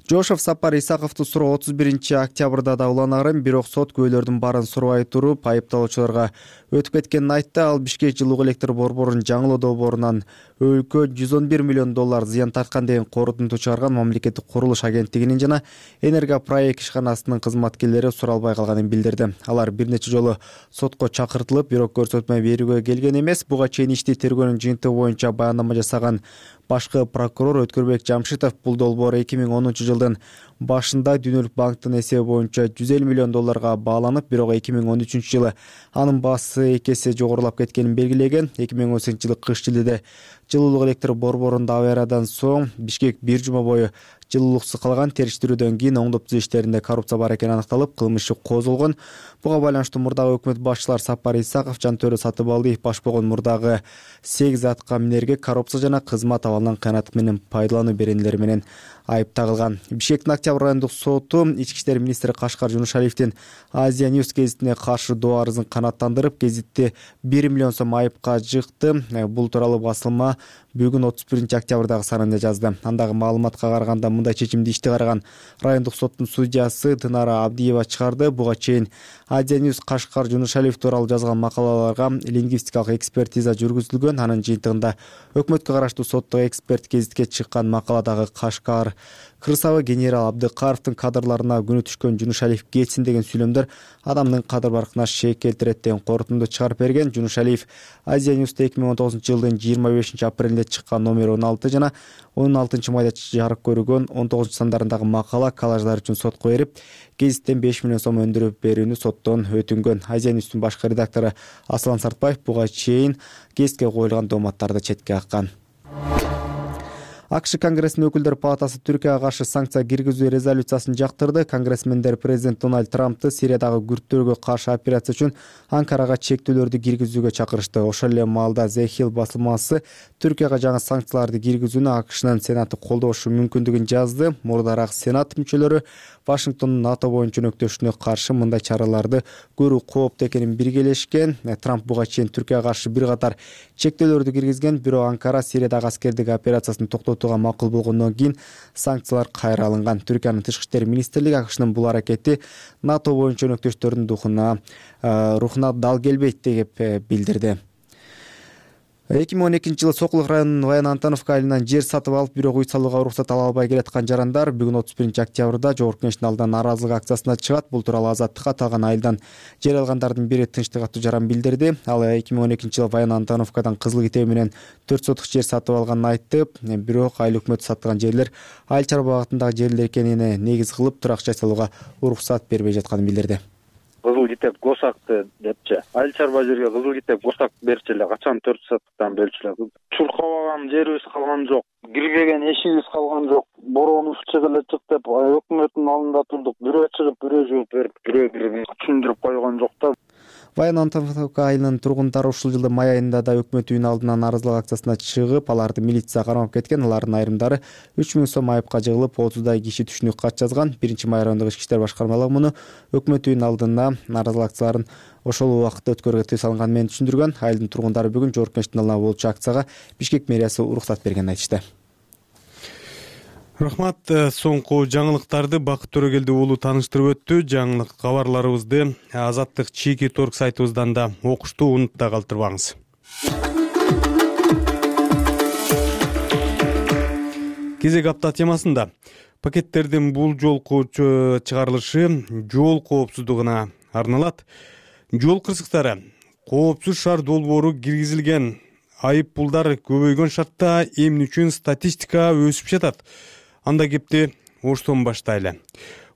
Жошов Сапар Исаковду суроо 31-октябрда да уланарын, бирок сот күбөлөрдүн баарын сурабай туруп, айыпталуучуларга өтүп кеткенин айтты. Ал Бишкек жылуу электр борборунун жаңылоо долбоорунан өлкө 111 миллион доллар зыян тарткан деген корутунду чыгарган мамлекеттик курулуш агенттигинин жана Энергопроект ишканасынын кызматкерлери суралбай калганын билдирди. Алар бир нече жолу сотко чакыртылып, бирок көрсөтмө берүүгө келген эмес. Буга чейин ишти тергөөнүн жыйынтыгы боюнча баяндама жасаган башкы прокурор Өткөрбек Жамшитов бул долбоор 2010 жылдын башында Дүнөлүк банктын эсеби боюнча 150 миллион долларга бааланып, бирок 2013 жылы анын баасы 2 эсе жогорулап кеткенин белгилеген. 2018 жылы кыш жилде жылуулук электр борборунда авариядан соң Бишкек бир жума бою жылуулуксуз калган. Териштирүүдөн кийин оңдоп түзүү иштеринде коррупция бар экени аныкталып, кылмыш иши козголгон. Буга байланыштуу мурдагы өкмөт башчылар Сапар Исаков, Жантөрө Сатыбалдиев баш болгон мурдагы 8 атка минерге коррупция жана кызмат абалынан кыянат менен пайдалануу беренелери менен айып тагылган. Бишкектин Октябрь райондук соту ички иштер министри Кашкар Жунушалиевдин Азия Ньюс гезитине каршы доо арызын канааттандырып, гезитти 1 миллион сом айыпка жыкты. Бул тууралуу басылма бүгүн 31-октябрдагы санында жазды. Андагы маалыматка караганда, мындай чечимди ишти караган райондук соттун судьясы Дынара Абдиева чыгарды. Буга чейин Азия Ньюс Кашкар Жунушалиев тууралуу жазган макалаларга лингвистикалык экспертиза жүргүзүлгөн. Анын жыйынтыгында өкмөткө караштуу соттук эксперт гезитке чыккан макаладагы Кашкар Кырсабы генерал Абдыкаровдун кадрларына күнү түшкөн Жунушалиев кетсин деген сүйлөмдөр адамдын кадыр баркына шек келтирет деген корутунду чыгарып берген. Жунушалиев Азия Ньюста 2019 жылдын 25 апрелинде чыккан номер 16 жана 16 майда жарык көргөн 19 сандарындагы макала коллаждар үчүн сотко берип, гезиттен 5 миллион сом өндүрүп берүүнү соттон өтүнгөн. Азия Ньюстун башкы редактору Аслан Сартбаев буга чейин гезитке коюлган дооматтарды четке каккан. АКШ Конгрессинин өкүлдөр палатасы Түркияга каршы санкция киргизүү резолюциясын жактырды. Конгрессмендер президент Дональд Трампты Сириядагы күрттөргө каршы операция үчүн Анкарага чектөөлөрдү киргизүүгө чакырышты. Ошол эле маалда The Hill басылмасы Түркияга жаңы санкцияларды киргизүүнү АКШнын Сенаты колдошу мүмкүндүгүн жазды. Мурдараак Сенат мүчөлөрү Вашингтондун НАТО боюнча өнөктөшүнө каршы мындай чараларды көрүү кооптуу экенин биргелешкен. Трамп буга чейин Түркияга каршы бир катар чектөөлөрдү киргизген, бирок Анкара Сириядагы аскердик операциясын токтотуу орнотууга макул болгондон кийин санкциялар кайра алынган. Түркиянын тышкы иштер министрлиги АКШнын бул аракети НАТО боюнча өнөктөштөрдүн рухуна дал келбейт деп билдирди. 2012-жылы Сокулук районунун Ваян Антоновка айылынан жер сатып алып, бирок үй салууга уруксат ала албай келаткан жарандар бүгүн 31-октябрда Жогорку Кеңештин алдынан нааразылык акциясына чыгат. Бул тууралуу Азаттыкка аталган айылдан жер алгандардын бири Тынчтык аттуу жаран билдирди. Ал 2012-жылы Ваян Антоновкадан Кызыл Китеби менен 4 сотук жер сатып алганын айтып, бирок айыл өкмөтү саткан жерлер айыл чарба багытындагы жерлер экенине негиз кылып, турак жай салууга уруксат бербей жатканын билдирди. Кызыл Китеп госакты депчи. Айыл чарба жерге Кызыл Китеп госак берчү эле, качан 4 сотуктан бөлчү эле. Чуркабаган жерибиз калган жок, кирбеген эшигибиз калган жок. Боронубуз чыгып эле чык деп өкмөттүн алдында турдук. Бирөө чыгып, бирөө жооп берип, бирөө түшүндүрүп койгон жок да. Ваян Антоновка айылынын тургундары ушул жылдын май айында да өкмөт үйүнүн алдына нааразылык акциясына чыгып, аларды милиция кармап кеткен. Алардын айрымдары 3000 сом айыпка жыгылып, 30дай киши түшүнүк кат жазган. 1-май райондук ички иштер башкармалыгы муну өкмөт үйүнүн алдына нааразылык акцияларын ошол убакытта өткөрүүгө тыюу салынганы менен түшүндүргөн. Айылдын тургундары бүгүн Жогорку Кеңештин алдына болчу акцияга Бишкек мэриясы уруксат бергенин айтышты. Рахмат. Соңку жаңылыктарды Бакыт Төрөгелди уулу тааныштырып өттү. Жаңылык кабарларыбызды Азаттык чийки торг сайтыбыздан да окушту, унутта калтырбаңыз. Кезек апта темасында пакеттердин бул жолку чыгарылышы жол коопсуздугуна арналат. Жол кырсыктары, коопсуз шаар долбоору киргизилген, айып пулдар көбөйгөн шартта эмне үчүн статистика өсүп жатат? Анда кепти Оштон баштайлы.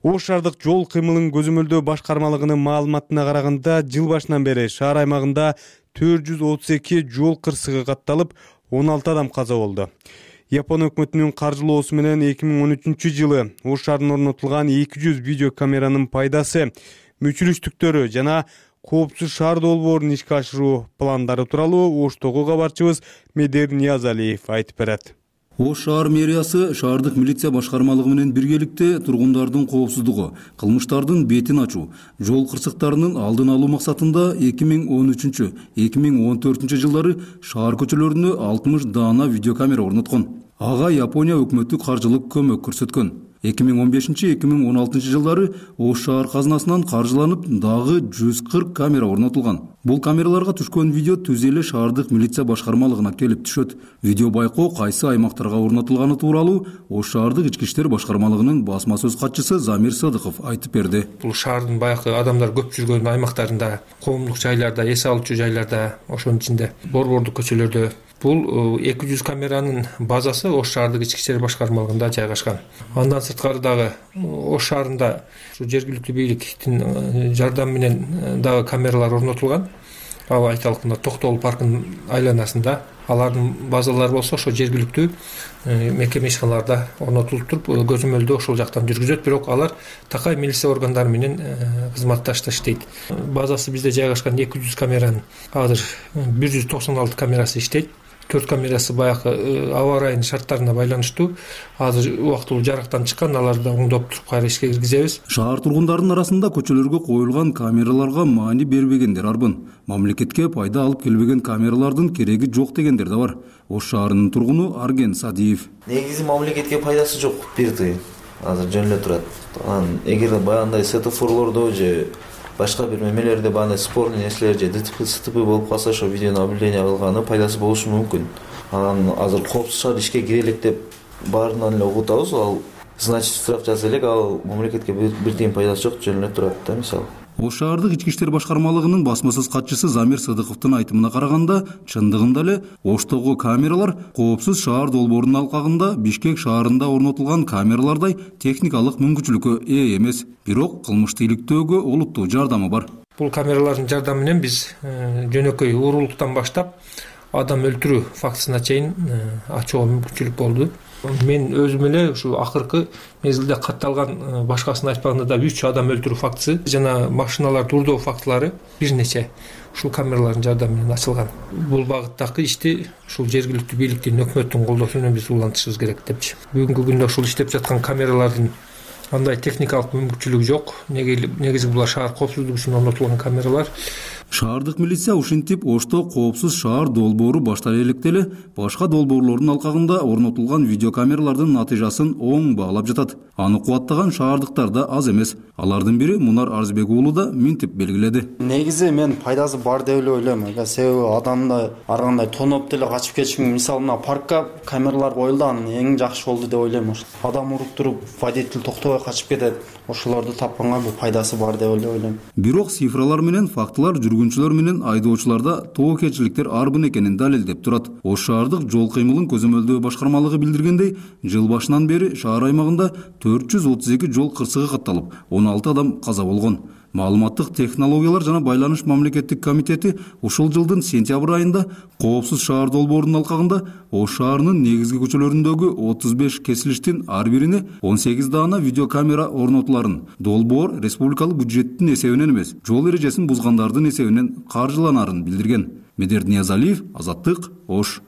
Ош шаардык жол кыймылын көзөмөлдөө башкармалыгынын маалыматына караганда, жыл башынан бери шаар аймагында 432 жол кырсыгы катталып, 16 адам каза болду. Япон өкмөтүнүн каржылоосу менен 2013-жылы Ош шаарында орнотулган 200 видео камеранын пайдасы, мүчүрүштүктөрү жана коопсуз шаар долбоорун ишке ашыруу пландары тууралуу Оштогу кабарчыбыз Медер Ниязалиев айтып берет. Ош шаар мэриясы шаардык милиция башкармалыгы менен биргеликте тургундардын коопсуздугу, кылмыштардын бетин ачуу, жол кырсыктарынын алдын алуу максатында 2013-2014 жылдары шаар көчөлөрүнө 60 даана видеокамера орноткон. Ага Япония өкмөтү каржылык көмөк көрсөткөн. 2015-2016 жылдары Ош шаар казынасынан каржыланып дагы 140 камера орнотулган. Бул камераларга түшкөн видео түз эле шаардык милиция башкармалыгына келип түшөт. Видео байкоо кайсы аймактарга орнотулганы тууралуу Ош шаардык ички иштер башкармалыгынын басма сөз катчысы Замир Садыков айтып берди. Бул шаардын баягы адамдар көп жүргөн аймактарында, коомдук жайларда, эс алуучу жайларда, ошонун ичинде борбордук көчөлөрдө. Бул 200 камеранын базасы Ош шаардык ички иштер башкармалыгында жайгашкан. Андан сырткары дагы Ош шаарында жергиликтүү бийликтин жардамы менен дагы камералар орнотулган. Ал айталык мына Токтогул паркынын айланасында. Алардын базалары болсо ошо жергиликтүү мекеме ишканаларда орнотулуп туруп, көзөмөлдөө ошол жактан жүргүзөт, бирок алар такай милиция органдары менен кызматташта иштейт. Базасы бизде жайгашкан 200 камеранын азыр 196 камерасы иштейт. 4 камерасы баягы аба ырайынын шарттарына байланыштуу азыр убактылуу жарактан чыккан, аларды оңдоп туруп кайра ишке киргизебиз. Шаар тургундарынын арасында көчөлөргө коюлган камераларга маани бербегендер арбын. Мамлекетке пайда алып келбеген камералардын кереги жок дегендер да бар. Ош шаарынын тургуну Арген Садиев. Негизи мамлекетке пайдасы жок, бир тыйын. Азыр жөн эле турат. Эгер баягындай светофорлордо же башка бир мемелерде баандай спорный нерселер же ДТП болуп калса, ошо видеону наблюдение кылганы пайдасы болушу мүмкүн. Анан азыр коопсуз шаар ишке кире элек деп баарынан эле угуп атабыз. Ал значит штраф жаза элек, ал мамлекетке бир тыйын пайдасы жок, жөн эле турат да мисалы. Ош шаардык ички иштер башкармалыгынын басма сөз катчысы Замир Садыковдун айтымына караганда, чындыгында эле Оштогу камералар коопсуз шаар долбоорунун алкагында Бишкек шаарында орнотулган камералардай техникалык мүмкүнчүлүккө ээ эмес. Бирок кылмышты иликтөөгө олуттуу жардамы бар. Бул камералардын жардамы менен биз жөнөкөй уурулуктан баштап адам өлтүрүү фактысына чейин ачууга мүмкүнчүлүк болду. Мен өзүм эле ушу акыркы мезгилде катталган, башкасын айтпаганда да 3 адам өлтүрүү фактысы жана машиналар дурдоо фактылары бир нече ушул камералардын жардамы менен ачылган. Бул багыттагы ишти ушул жергиликтүү бийликтин, өкмөттүн колдоосу менен биз улантышыбыз керек депчи. Бүгүнкү күндө ушул иштеп жаткан камералардын андай техникалык мүмкүнчүлүгү жок. Негизи булар шаар коопсуздугу үчүн орнотулган камералар. Шаардык милиция ушинтип Ошто коопсуз шаар долбоору баштале электе эле башка долбоорлордун алкагында орнотулган видеокамералардын натыйжасын оң баалап жатат. Аны кубаттаган шаардыктар да аз эмес. Алардын бири Мунар Арзбек уулу да минтип белгиледи. Негизи мен пайдасы бар деп эле ойлойм. Себеби адамды ар кандай тоноп деле качып кетиши мүмкүн. Мисалы мына паркка камералар коюлду, анын эң жакшы болду деп ойлойм. Адам уруктуруп, водитель токтобой качып кетет. Ошолорду тапканга бул пайдасы бар деп эле ойлойм. Бирок цифралар менен фактылар жүргүнчүлөр менен айдоочуларда тобокелчиликтер арбын экенин далилдеп турат. Ош шаардык жол кыймылын көзөмөлдөө башкармалыгы билдиргендей, жыл башынан бери шаар аймагында 432 жол кырсыгы катталып, 16 адам каза болгон. Маалыматтык технологиялар жана байланыш мамлекеттик комитети ушул жылдын сентябрь айында коопсуз шаар долбоорунун алкагында Ош шаарынын негизги көчөлөрүндөгү 35 кесилиштин ар бирине 18 даана видеокамера орнотуларын, долбоор республикалык бюджеттин эсебинен эмес, жол эрежесин бузгандардын эсебинен каржыланарын билдирген. Медерди Ниязалиев, Азаттык, Ош.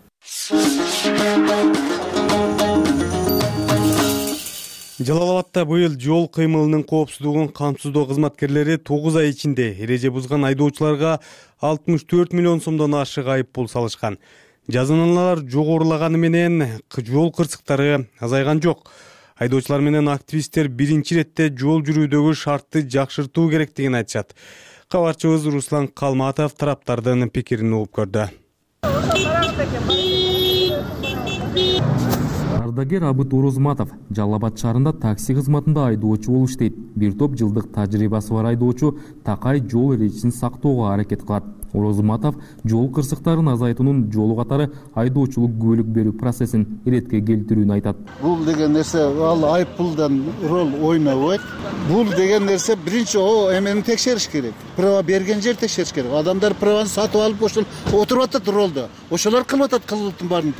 Жалал Абадта быйыл жол кыймылынын коопсуздугун камсыздоо кызматкерлери 9 ай ичинде эреже бузган айдоочуларга 64 миллион сомдон ашык айып пул салышкан. Жазаналар жогорулаганы менен жол кырсыктары азайган жок. Айдоочулар менен активисттер биринчи иретте жол жүрүүдөгү шартты жакшыртуу керектигин айтышат. Кабарчыбыз Руслан Калматов тараптардын пикирин угуп көрдү. Ардагер Абыт Орозматов Жалал Абад шаарында такси кызматында айдоочу болуп иштейт. Бир топ жылдык тажрыйбасы бар айдоочу такай жол эрежесин сактоого аракет кылат. Орозматов жол кырсыктарын азайтуунун жолу катары айдоочулук күбөлүк берүү процессин иретке келтирүүнү айтат. Бул деген нерсе ал айып пулдан роль ойнобойт. Бул деген нерсе биринчи эмени текшериш керек. Права берген жер текшериш керек. Адамдар праваны сатып алып ошол отуруп атат ролдо. Ошолор кылып атат кылыктын баарын,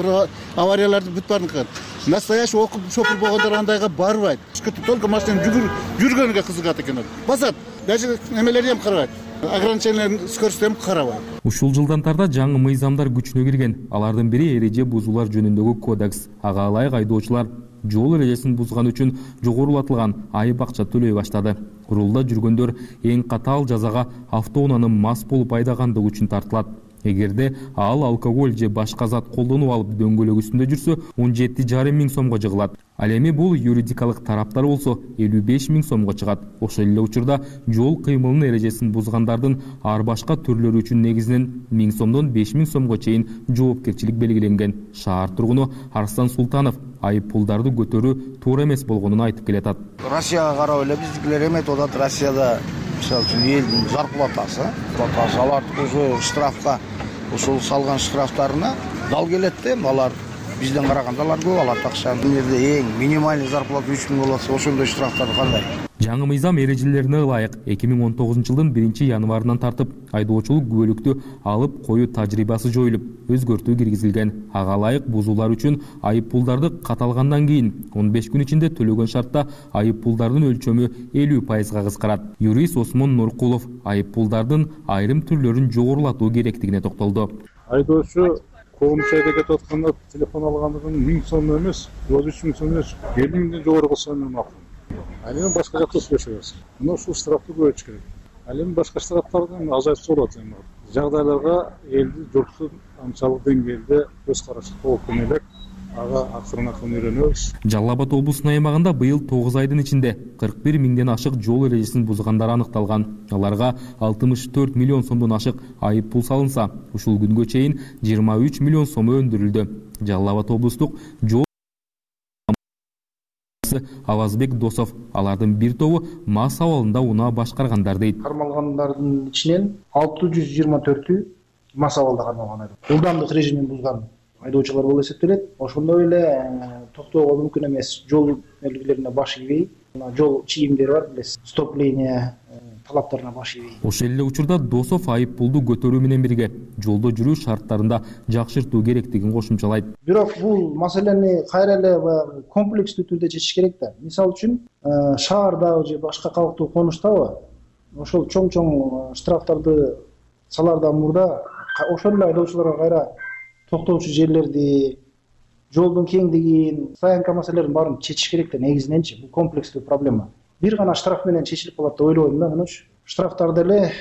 аварияларды бүт баарын кылат. Настоящий окуп шопур болгондор андайга барбайт. Только машина жүргөнгө кызыгат экен. Басат. Даже эмелерди эм карабайт. Ограниченияларын скоростем карабайт. Ушул жылдан тарта жаңы мыйзамдар күчүнө кирген. Алардын бири эреже бузуулар жөнүндөгү кодекс. Ага ылайык айдоочулар жол эрежесин бузган үчүн жогорулатылган айып акча төлөй баштады. Рулда жүргөндөр эң катаал жазага автоунааны мас болуп айдагандыгы үчүн тартылат. Эгерде ал алкоголь же башка зат колдонуп алып дөңгөлөк үстүндө жүрсө 17,5 миң сомго жыгылат. Ал эми бул юридикалык тараптар болсо 55 миң сомго чыгат. Ошол эле учурда жол кыймылынын эрежесин бузгандардын ар башка түрлөрү үчүн негизинен 1000 сомдон 5000 сомго чейин жоопкерчилик белгиленген. Шаар тургуну Арслан Султанов айып пулдарды көтөрүү туура эмес болгонун айтып келатат. Россияга карап эле биздикилер эметип атат. Россияда мисалы үчүн элдин зарплатасы, алардын өзү штрафка ушул салган штрафтарына дал келет да, алар бизден караганда алар көп алат акчаны. Бул жерде эң минимальный зарплата 3 миң болот, ошондой штрафтар кандай? Жаңы мыйзам эрежелерине ылайык 2019 жылдын 1 январынан тартып айдоочулук күбөлүктү алып коюу тажрыйбасы жоюлуп, өзгөртүү киргизилген. Ага ылайык бузуулар үчүн айып пулдарды каталгандан кийин 15 күн ичинде төлөгөн шартта айып пулдардын өлчөмү 50% кыскарат. Юрист Осмон Нуркулов айып пулдардын айрым түрлөрүн жогорулатуу керектигине токтолду. Айдоочу коомчу айда кетип атканда телефон алгандыгын 1000 сом эмес, 3 миң сом эмес, 50 миңден жогору кылса макул. Ал эми башка жакта сүйлөшөбүз. Мына ушул штрафты көбөйтүш керек. Ал эми башка штрафтарды азайтса болот. Жагдайларга элди журттун анчалык деңгээлде көз карашы толук элек ага акырын үйрөнөбүз. Жалал Абад облусунун аймагында быйыл 9 айдын ичинде 41 миңден ашык жол эрежесин бузгандар аныкталган. Аларга 64 миллион сомдон ашык айып пул салынса, ушул күнгө чейин 23 миллион сом өндүрүлдү. Жалал Абад облустук жол Авазбек Досов алардын бир тобу мас абалында унаа башкаргандар дейт. Кармалгандардын ичинен 624-ü мас абалда кармалган айдоочу. Ылдамдык режимин бузган айдоочулар болуп эсептелет. Ошондой эле токтоого мүмкүн эмес жол белгилерине баш ийбей, жол чийимдери бар, билесиз, стопление талаптарына баш ийбей. Ошол эле учурда Досов айып пулду көтөрүү менен бирге жолдо жүрүү шарттарында жакшыртуу керектигин кошумчалайт. Бирок бул маселени кайра эле комплекстүү түрдө чечиш керек да. Мисалы үчүн шаардагы же башка калктуу конуштабы ошол чоң штрафтарды салардан мурда ошол эле айдоочуларга кайра токтоочу жерлерди, жолдун кеңдигин, стоянка маселелерин баарын чечиш керек да негизиненчи. Бул комплекстүү проблема. Бир гана штраф менен чечилип калат деп ойлобойм да. Мына штрафтарды эле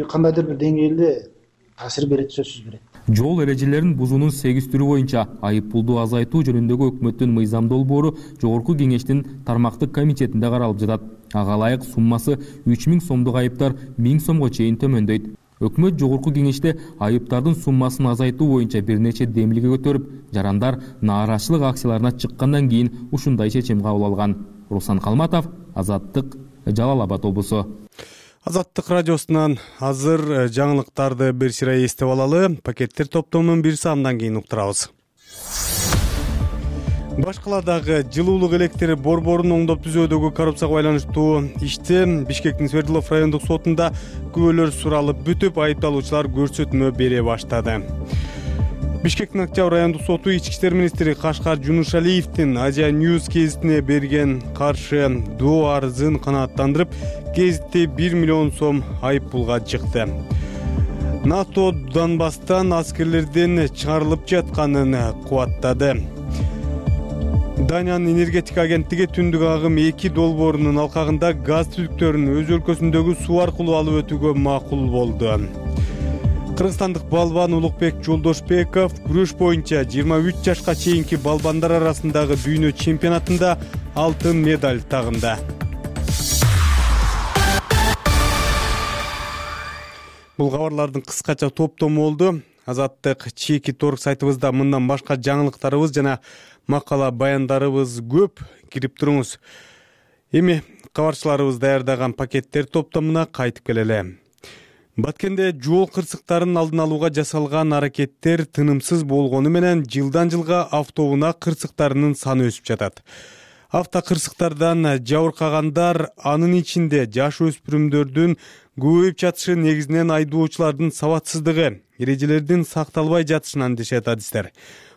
кандайдыр бир деңгээлде таасир берет, сөзсүз берет. Жол эрежелерин бузуунун 8 түрү боюнча айып пулду азайтуу жөнүндөгү өкмөттүн мыйзам долбоору Жогорку Кеңештин тармактык комитетинде каралып жатат. Ага ылайык суммасы 3000 сомдук айыптар 1000 сомго чейин төмөндөйт. Өкмөт Жогорку Кеңеште айыптардын суммасын азайтуу боюнча бир нече демилге көтөрүп, жарандар нааразычылык акцияларына чыккандан кийин ушундай чечим кабыл алган. Руслан Калматов, Азаттык, Жалал Абад облусу. Азаттык радиосунан азыр жаңылыктарды бир сыйра эстеп алалы. Пакеттер топтомунун бир саамдан кийин уктурабыз. Башкаладагы жылуулук электр борборун оңдоп түзүүдөгү коррупцияга байланыштуу иште Бишкектин Свердлов райондук сотунда күбөлөр суралып бүтүп, айыпталуучулар көрсөтмө бере баштады. Бишкектин Октябрь райондук соту ички иштер министри Кашкар Жунушалиевдин Азия News гезитине берген каршы доо арызын канааттандырып, гезитте 1 миллион сом айып пулга чыкты. НАТО Донбасстан аскерлерден чыгарылып жатканын кубаттады. Даниянын энергетика агенттиги түндүк агым 2 долбоорунун алкагында газ түтүктөрүн өз өлкөсүндөгү суу аркылуу алып өтүүгө макул болду. Кыргызстандык балбан Улукбек Жолдошбеков күрөш боюнча 23 жашка чейинки балбандар арасындагы дүйнө чемпионатында алтын медаль тагынды. Бул кабарлардын кыскача топтому болду. Азаттык чеки торг сайтыбызда мындан башка жаңылыктарыбыз жана макала баяндарыбыз көп. Кирип туруңуз. Эми кабарчыларыбыз даярдаган пакеттер топтомуна кайтып келели. Баткенде жол кырсыктарын алдын алууга жасалган аракеттер тынымсыз болгону менен жылдан жылга автоунаа кырсыктарынын саны өсүп жатат. Автокырсыктардан жабыркагандар, анын ичинде жаш өспүрүмдөрдүн көбөйүп жатышы негизинен айдоочулардын сабатсыздыгы, эрежелердин сакталбай жатышынан дешет адистер.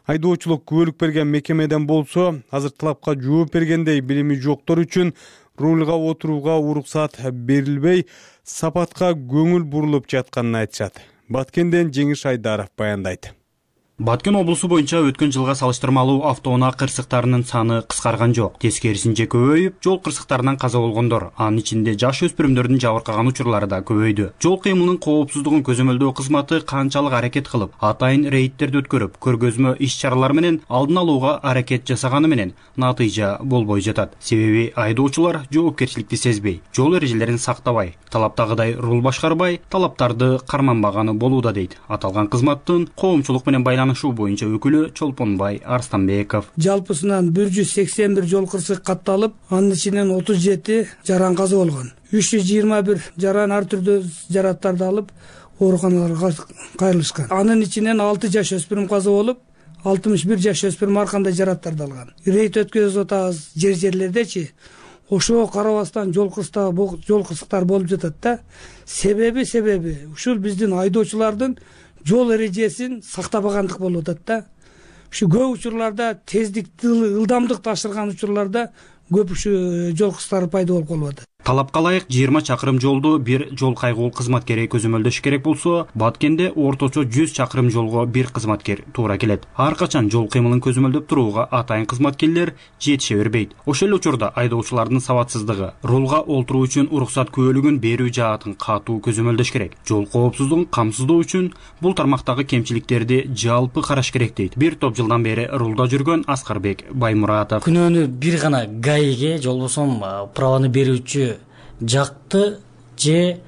Айдоочулук күбөлүк берген мекемеден болсо, азыр талапка жооп бергендей билими жоктор үчүн рульга отурууга уруксат берилбей, сапатка көңүл бурулуп жатканын айтышат. Баткенден Жеңиш Айдаров баяндайт. Баткен облусу боюнча өткөн жылга салыштырмалуу автоунаа кырсыктарынын саны кыскарган жок. Тескерисинче көбөйүп, жол кырсыктарынан каза болгондор, анын ичинде жаш өспүрүмдөрдүн жабыркаган учурлары да көбөйдү. Жол кыймылынын коопсуздугун көзөмөлдөө кызматы канчалык аракет кылып, атайын рейдтерди өткөрүп, көргөзмө иш-чаралар менен алдын алууга аракет жасаганы менен натыйжа болбой жатат. Себеби айдоочулар жоопкерчиликти сезбей, жол эрежелерин сактабай, талаптагыдай рул башкарбай, талаптарды карманбаганы болууда дейт. Аталган кызматтын коомчулук менен байланышуу боюнча өкүлү Чолпонбай Арстанбеков. Жалпысынан 181 жол кырсык катталып, анын ичинен 37 жаран каза болгон. 321 жаран ар түрдүү жараттарды алып, ооруканаларга кайрылышкан. Анын ичинен 6 жаш өспүрүм каза болуп, 61 жаш өспүрүм ар кандай жараттарды алган. Рейд өткөзүп атабыз жерлердечи. Ошого карабастан жол кырсыктар болуп жатат да. Себеби ушул биздин айдоочулардын жол эрежесин сактабагандык болуп атат да. Ушу көп учурларда тездикти, ылдамдыкты ашырган учурларда көп ушу жол кырсыктары пайда болуп калып атат. Талапка ылайык 20 чакырым жолду бир жол кайгуу кызматкери көзөмөлдөш керек болсо, Баткенде орточо 100 чакырым жолго бир кызматкер туура келет. Ар качан жол кыймылын көзөмөлдөп турууга атайын кызматкерлер жетише бербейт. Ошол эле учурда айдоочулардын сабатсыздыгы, рулга олтуруу үчүн уруксат күбөлүгүн берүү жаатын катуу көзөмөлдөш керек. Жол коопсуздугун камсыздоо үчүн бул тармактагы кемчиликтерди жалпы караш керек дейт. Бир топ жылдан бери рулда жүргөн Аскарбек Баймуратов. Күнөөнү бир гана ГАИге, жолбосом праваны берүүчү жакты же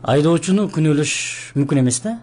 айдоочуну күнөөлөш мүмкүн эмес да.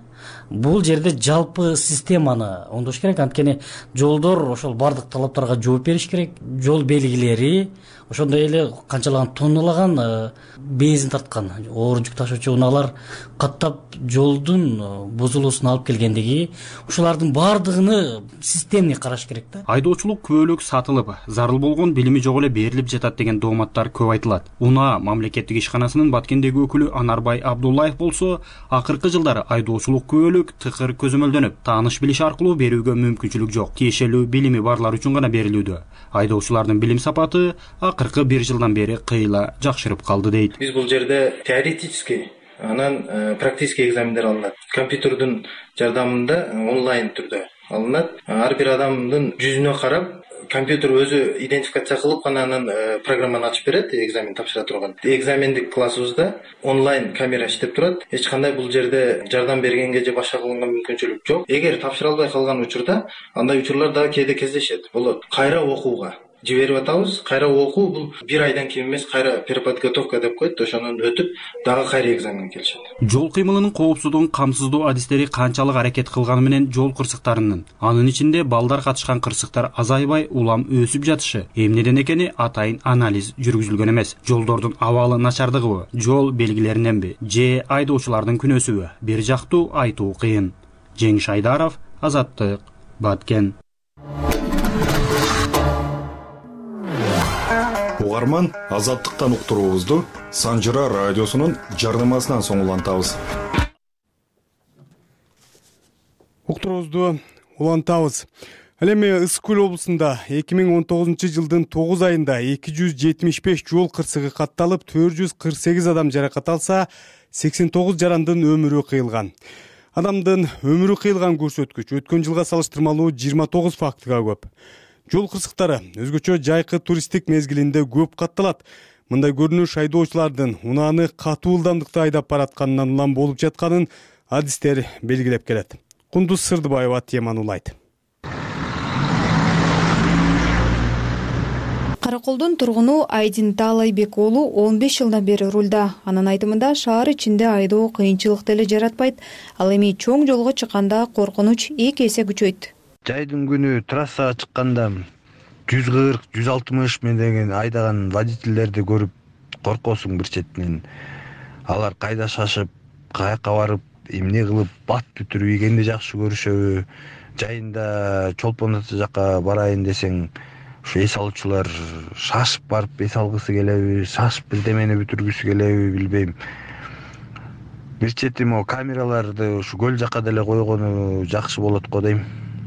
Бул жерде жалпы системаны оңдош керек. Анткени жолдор ошол бардык талаптарга жооп бериш керек. Жол белгилери, ошондой эле канчалаган тонналаган бензин тарткан оор жүк ташуучу унаалар каттап жолдун бузулуусуна алып келгендиги, ушулардын бардыгыны системный караш керек да. Айдоочулук күбөлүк сатылып, зарыл болгон билими жок эле берилип жатат деген дооматтар көп айтылат. Унаа мамлекеттик ишканасынын Баткендеги өкүлү Анарбай Абдуллаев болсо, акыркы жылдары айдоочулук күбөлүк тыкыр көзөмөлдөнүп, тааныш билиш аркылуу берүүгө мүмкүнчүлүк жок. Тиешелүү билими барлар үчүн гана берилүүдө. Айдоочулардын билим сапаты акыркы бир жылдан бери кыйла жакшырып калды дейт. Биз бул жерде теоретический, анан практический экзамендер алынат. Компьютердин жардамында онлайн түрдө алынат. Ар бир адамдын жүзүнө карап, компьютер өзү идентификация кылып анан программаны ачып берет, экзамен тапшыра турган. Экзамендик классыбызда онлайн камера иштеп турат. Эч кандай бул жерде жардам бергенге же башка кылганга мүмкүнчүлүк жок. Эгер тапшыра албай калган учурда андай учурлар дагы кээде кездешет. Болот. Кайра окууга жиберип атабыз. Кайра окуу бул 1 айдан кийин эмес, кайра переподготовка деп коет. Ошонун өтүп, дагы кайра экзамен келишет. Жол кыймылынын коопсуздугун камсыздоо адистери канчалык аракет кылганы менен жол кырсыктарынын, анын ичинде балдар катышкан кырсыктар азайбай, улам өсүп жатышы эмнеден экени атайын анализ жүргүзүлгөн эмес. Жолдордун абалы начардыгыбы, жол белгилериненби же айдоочулардын күнөөсүбү бир жактуу айтуу кыйын. Жеңиш Айдаров, Азаттык, Баткен. Угарман, Азаттыктан уктуруубузду Санжыра радиосунун жарнамасынан соң улантабыз. Уктуруубузду улантабыз. Ал эми Ысык Көл облусунда 2019 жылдын 9 айында 275 жол кырсыгы катталып, 448 адам жаракат алса, 89 жарандын өмүрү кыйылган. Адамдын өмүрү кыйылган көрсөткүч өткөн жылга салыштырмалуу 29 фактыга көп. Жол кырсыктары өзгөчө жайкы туристтик мезгилинде көп катталат. Мындай көрүнүш айдоочулардын унааны катуу ылдамдыкта айдап баратканынан улам болуп жатканын адистер белгилеп келет. Кундуз Сырдыбаева теманы улайт. Караколдун тургуну Айдин Таалайбек уулу 15 жылдан бери рулда. Анын айтымында шаар ичинде айдоо кыйынчылык деле жаратпайт. Ал эми чоң жолго чыкканда коркунуч 2 эсе күчөйт. Жайдын күнү трассага чыкканда 140-160 менен айдаган водительдерди көрүп коркосуң бир четинен. Алар кайда шашып, каяка барып, эмне кылып бат бүтүрүп ийгенди жакшы көрүшөбү. Жайында Чолпон ата жакка барайын десең, ушу эс алуучулар шашып барып эс алгысы келеби, шашып бирдемени бүтүргүсү келеби билбейм. Бир чети могу камераларды ушу көл жакка деле койгону жакшы болот го дейм.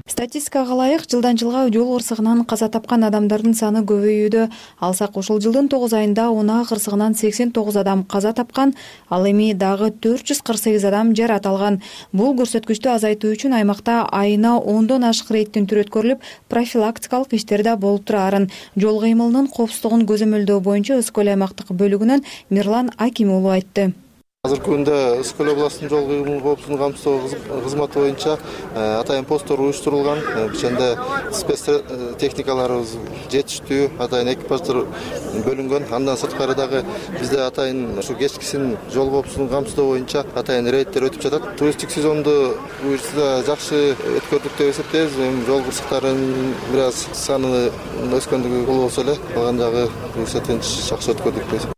Статистикага ылайык, жылдан жылга жол кырсыгынан каза тапкан адамдардын саны көбөйүүдө. Алсак, ушул жылдын 9 айында унаа кырсыгынан 89 адам каза тапкан, ал эми дагы 448 адам жарат алган. Бул көрсөткүчтү азайтуу үчүн аймакта айына 10дон ашык рейдтин түрү өткөрүлүп, профилактикалык иштер да болуп турарын жол кыймылынын коопсуздугун көзөмөлдөө боюнча Ысык Көл аймактык бөлүгүнөн Мирлан Аким уулу айтты. Азыркы күндө Ысык Көл областынын жол кыймыл коопсуздугун камсыздоо кызматы боюнча атайын посттор уюштурулган. Ошондо спец техникаларыбыз жетиштүү, атайын экипаждар бөлүнгөн. Андан сырткары дагы бизде атайын ушу кечкисин жол коопсуздугун камсыздоо боюнча атайын рейдтер өтүп жатат. Туристтик сезонду буюрса жакшы өткөрдүк деп эсептейбиз. Жол кырсыктарынын бир аз саны өскөндүгү болбосо эле, калган жагы буюрса тынч жакшы өткөрдүк деп.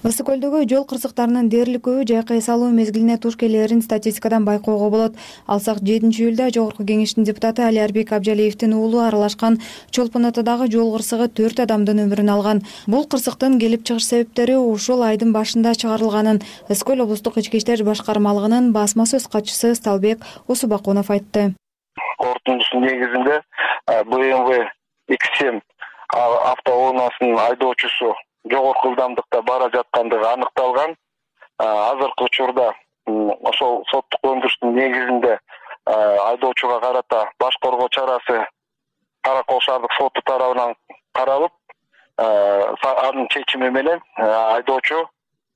Ысык Көлдөгү жол кырсыктарынын дээрлик көбү жайкы эс алуу мезгилине туш келерин статистикадан байкоого болот. Алсак 7-июлда Жогорку Кеңештин депутаты Алиарбек Абжалиевдин уулу аралашкан Чолпон атадагы жол кырсыгы 4 адамдын өмүрүн алган. Бул кырсыктын келип чыгыш себептери ушул айдын башында чыгарылганын Ысык Көл облустук ички иштер башкармалыгынын басма сөз катчысы Сталбек Осубакунов айтты. Корутундусунун негизинде БМВ X7 автоунаасынын айдоочусу жогорку ылдамдыкта бара жаткандыгы аныкталган. Азыркы учурда ошол соттук өндүрүштүн негизинде айдоочуга карата баш коргоо чарасы Каракол шаардык соту тарабынан каралып, анын чечими менен айдоочу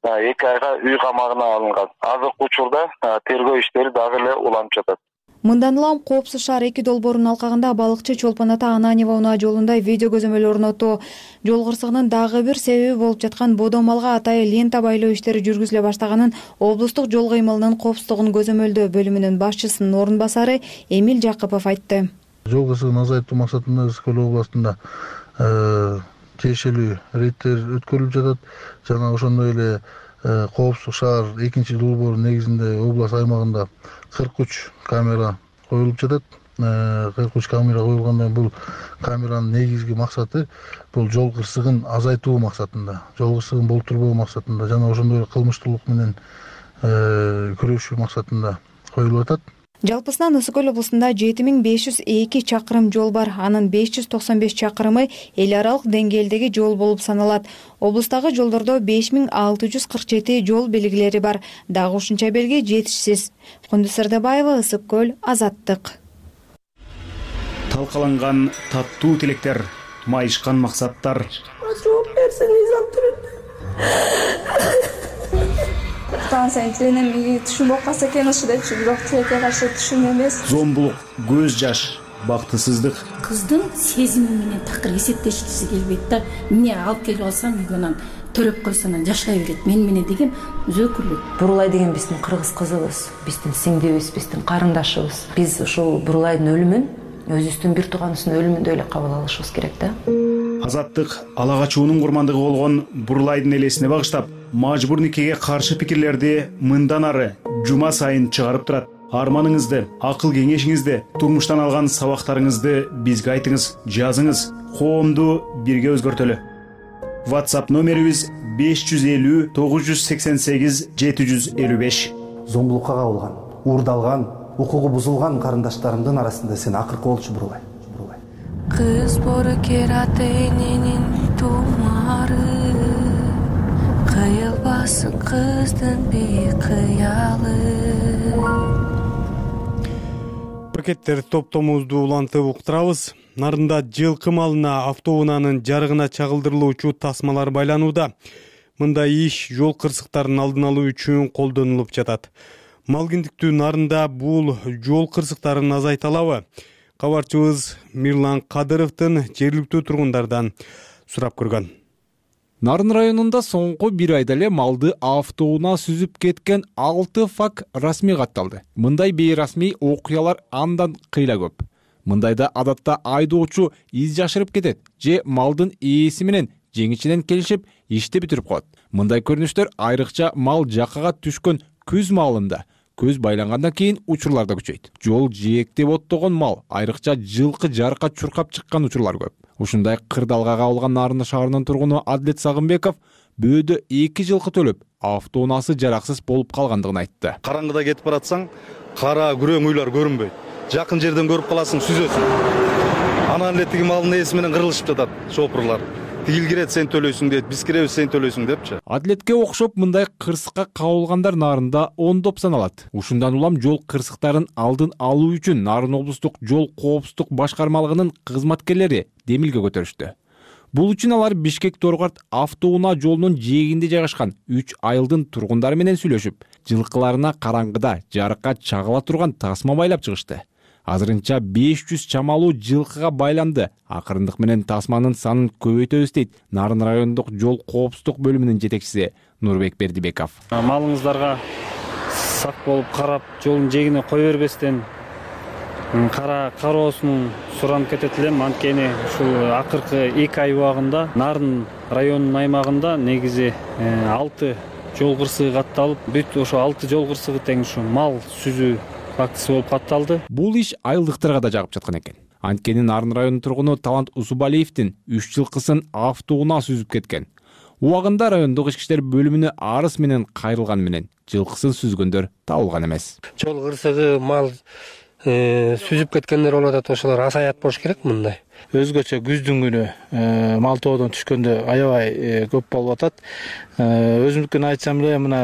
2 айга үй камагына алынган. Азыркы учурда тергөө иштери дагы эле уланып жатат. Мындан улам Коопсуз шаар 2 долбоорунун алкагында балыкчы Чолпон ата Ананьева унаа жолунда видео көзөмөл орнотуу. Жол кырсыгынын дагы бир себеби болуп жаткан бодо малга атайы лента байлоо иштери жүргүзүлө баштаганын облустук жол кыймылынын коопсуздугун көзөмөлдөө бөлүмүнүн башчысынын орун басары Эмил Жакыпов айтты. Жол кырсыгын азайтуу максатында Ысык Көл областында тиешелүү рейдтер өткөрүлүп жатат. Жана ошондой эле Коопсуз шаар 2 долбоору негизинде область аймагында 43 камера коюлуп жатат. 43 камера коюлгандан бул камеранын негизги максаты бул жол кырсыгын азайтуу максатында, жол кырсыгын болтурбоо максатында жана ошондой эле кылмыштуулук менен күрөшүү максатында коюлуп атат. Жалпысынан Ысык Көл облусунда 7502 чакырым жол бар. Анын 595 чакырымы эл аралык деңгээлдеги жол болуп саналат. Облустагы жолдордо 5647 жол белгилери бар. Дагы ушунча белги жетишсиз. Кундуз Сырдыбаева, Ысык Көл, Азаттык. Талкаланган таттуу тилектер майышкан максаттар. Жооп берсин мыйзам түрүндө. Станция тилине түшүн болуп калса экен ушу депчи, бирок тилекке каршы түшүн эмес. Зомбулук, көз жаш, бактысыздык. Кыздын сезими менен такыр эсептешкиси келбейт да. Эмне алып келип алсам үйгө төрөп койсо анан жашай берет. Мен деген өзөкүрлүк. Бурулай деген биздин кыргыз кызыбыз, биздин сиңдибиз, биздин карындашыбыз. Биз ушул Бурулайдын өлүмүн өзүбүздүн бир тууганыбыздын өлүмүндөй эле кабыл алышыбыз керек да. Азаттык ала качуунун курмандыгы болгон Бурулайдын элесине багыштап, мажбур никеге каршы пикирлерди мындан ары жума сайын чыгарып турат. Арманыңызды, акыл кеңешиңизди, турмуштан алган сабактарыңызды бизге айтыңыз, жазыңыз. Коомду бирге өзгөртөлү. WhatsApp номерибиз 550 988 755. Зомбулукка кабылган, уурдалган, укугу бузулган карындаштарымдын арасында сен акыркы болчу Бурулай. Кыз бору кератенинин тумары, кыйылбасын кыздын бейкыялы. Пакеттер топтомубузду улантып уктурабыз. Нарында жылкы малына автоунаанын жарыгына чагылдырылуучу тасмалар байланууда. Мындай иш жол кырсыктарын алдын алуу үчүн колдонулуп жатат. Малгиндиктүү нарында бул жол кырсыктарын азайта алабы? Кабарчыбыз Мирлан Кадыровдун жергиликтүү тургундардан сурап көргөн. Нарын районунда соңку бир айда эле малды автоунаа сүзүп кеткен 6 факт расмий катталды. Мындай бейрасмий окуялар андан кыйла көп. Мындайда адатта айдоочу из жашырып кетет же малдын ээси менен жеңичинен келишип ишти бүтүрүп коет. Мындай көрүнүштөр айрыкча мал жакага түшкөн күз маалында көз байлангандан кийин учурларда күчөйт. Жол жээктеп оттогон мал, айрыкча жылкы жарка чуркап чыккан учурлар көп. Ушундай кырдалга кабылган Нарын шаарынын тургуну Адлет Сагынбеков бөөдө 2 жылкы төлөп, автоунаасы жараксыз болуп калгандыгын айтты. Караңгыда кетип баратсаң, кара күрөң үйлөр көрүнбөйт. Жакын жерден көрүп каласың, сүзөсүң. Анан эле тиги малдын ээси менен кырылышып жатат шопурлар. Тигил кирет, сен төлөйсүң дейт, биз киребиз, сен төлөйсүң депчи. Адлетке окшоп мындай кырсыкка кабылгандар Нарында ондоп саналат. Ушундан улам жол кырсыктарын алдын алуу үчүн Нарын облустук жол коопсуздук башкармалыгынын кызматкерлери демилге көтөрүштү. Бул үчүн алар Бишкек-Торгарт автоунаа жолунун жээгинде жайгашкан 3 айылдын тургундары менен сүйлөшүп, жылкыларына караңгыда жарыкка чагыла турган тасма байлап чыгышты. Азырынча 500 чамалуу жылкыга байланды. Акырындык менен тасманын санын көбөйтөбүз дейт Нарын райондук жол коопсуздук бөлүмүнүн жетекчиси Нурбек Бердибеков. Малыңыздарга сак болуп карап, жолдун жээгине кой бербестен кароосун суранып кетет элем. Анткени ушул акыркы 2 ай убагында Нарын районунун аймагында негизи 6 жол кырсыгы катталып, бүт ошо 6 жол кырсыгы тең ушу мал сүзүү фактысы болуп катталды. Бул иш айылдыктарга да жагып жаткан экен. Анткени Нарын районунун тургуну Талант Усубалиевдин 3 жылкысын автоунаа сүзүп кеткен. Убагында райондук ички иштер бөлүмүнө арыз менен кайрылган менен жылкысын сүзгөндөр табылган эмес. Жол кырсыгы мал сүзүп кеткендер болуп атат, ошолор азаят болуш керек мындай. Өзгөчө күздүн күнү мал тоодон түшкөндө аябай көп болуп атат. Өзүмдүкүн айтсам эле мына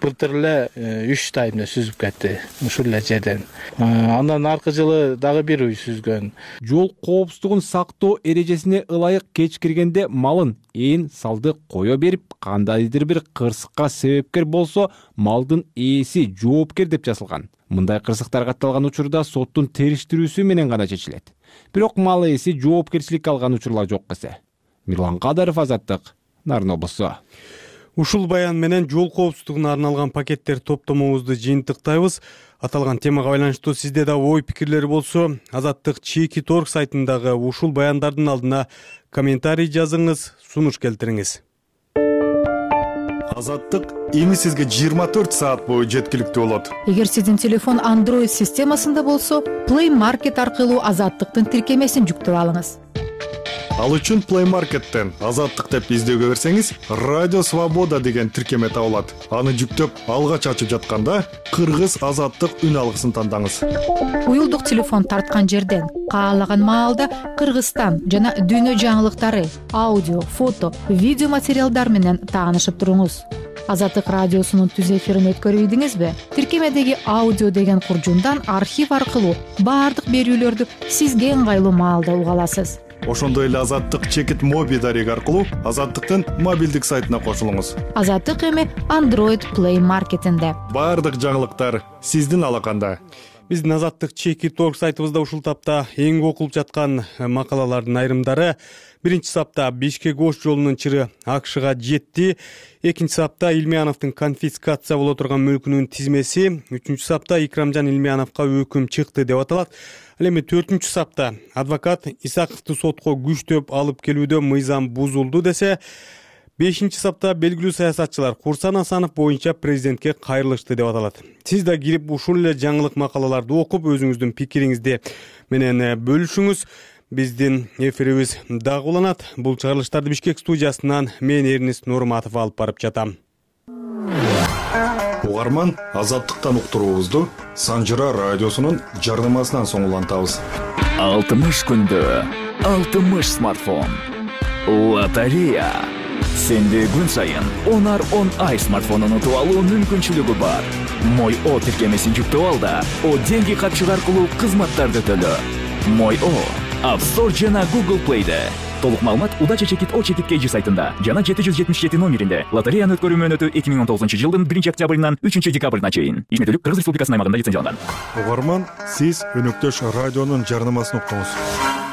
былтыр эле 3 тайымда сүзүп кетти ушул эле жерден. Андан аркы жылы дагы бир үй сүзгөн. Жол коопсуздугун сактоо эрежесине ылайык кечкиргенде малын ээн салды кое берип, кандайдыр бир кырсыкка себепкер болсо, малдын ээси жоопкер деп жазылган. Мындай кырсыктар катталган учурда соттун териштирүүсү менен гана чечилет. Бирок мал ээси жоопкерчиликке алган учурлар жок эсе. Мирлан Кадыров, Азаттык, Нарын облусу. Ушул баян менен жол коопсуздугуна арналган пакеттер топтомубузду жыйынтыктайбыз. Аталган темага байланыштуу сизде да ой пикирлер болсо, Азаттык /.org сайтындагы ушул баяндардын алдына комментарий жазыңыз, сунуш келтириңиз. Азаттык эми сизге 24 саат бою жеткиликтүү болот. Эгер сиздин телефон Android системасында болсо, Play Market аркылуу Азаттыктын тиркемесин жүктөп алыңыз. Ал үчүн Play Market'тен Азаттык деп издөөгө берсеңиз, Радио Свобода деген тиркеме табылат. Аны жүктөп, алгач ачып жатканда Кыргыз Азаттык үн алгысын тандаңыз. Уюлдук телефон тарткан жерден каалаган маалда Кыргызстан жана дүйнө жаңылыктары, аудио, фото, видео материалдар менен таанышып туруңуз. Азаттык радиосунун түз эфирин өткөрүбүдүңүзбү? Тиркемедеги аудио деген куржундан архив аркылуу баардык берүүлөрдү сизге ыңгайлуу маалда уга аласыз. ошондой эле Азаттык чекит моби дареги аркылуу Азаттыктын мобилдик сайтына кошулуңуз. Азаттык эми Android Play маркетинде. Баардык жаңылыктар сиздин алаканда. Биздин Азаттык чекит орг сайтыбызда ушул тапта эң окулуп жаткан макалалардын айрымдары. Биринчи сапта Бишкек Ош жолунун чыры АКШга жетти. Экинчи сапта Илмияновдун конфискация боло турган мүлкүнүн тизмеси. Үчүнчү сапта Икрамжан Илмияновго өкүм чыкты деп аталат. Ал эми 4-чү сапта адвокат Исаковду сотко күчтөп алып келүүдө мыйзам бузулду десе, 5-чи сапта белгилүү саясатчылар Курсан Асанов боюнча президентке кайрылышты деп аталат. Сиз да кирип ушул эле жаңылык макалаларды окуп, өзүңүздүн пикириңизди менен бөлүшүңүз. Биздин эфирибиз дагы уланат. Бул чыгарылыштарды Бишкек студиясынан мен Эрнест Нурматов алып барып жатам. Угарман, Азаттыктан уктуруубузду Санжыра радиосунун жардамасынан соң улантабыз. 60 күндө 60 смартфон. Лотерея. Сенде күн сайын 10 ай смартфонун утуп алуу мүмкүнчүлүгү бар. Мой О тиркемесин жүктөп ал да, О деньги катчыгы аркылуу кызматтарды төлө. Мой О App Store жана Google Play'де. Толук маалымат Удача чекит О чекит KG сайтында жана 777 номеринде. Лотереянын өткөрүү мөөнөтү 2019 жылдын 1 октябрынан 3 декабрына чейин. Ишметтүүлүк Кыргыз Республикасынын аймагында лицензияланган. Угарман, сиз өнөктөш радионун жарнамасын уктуңуз.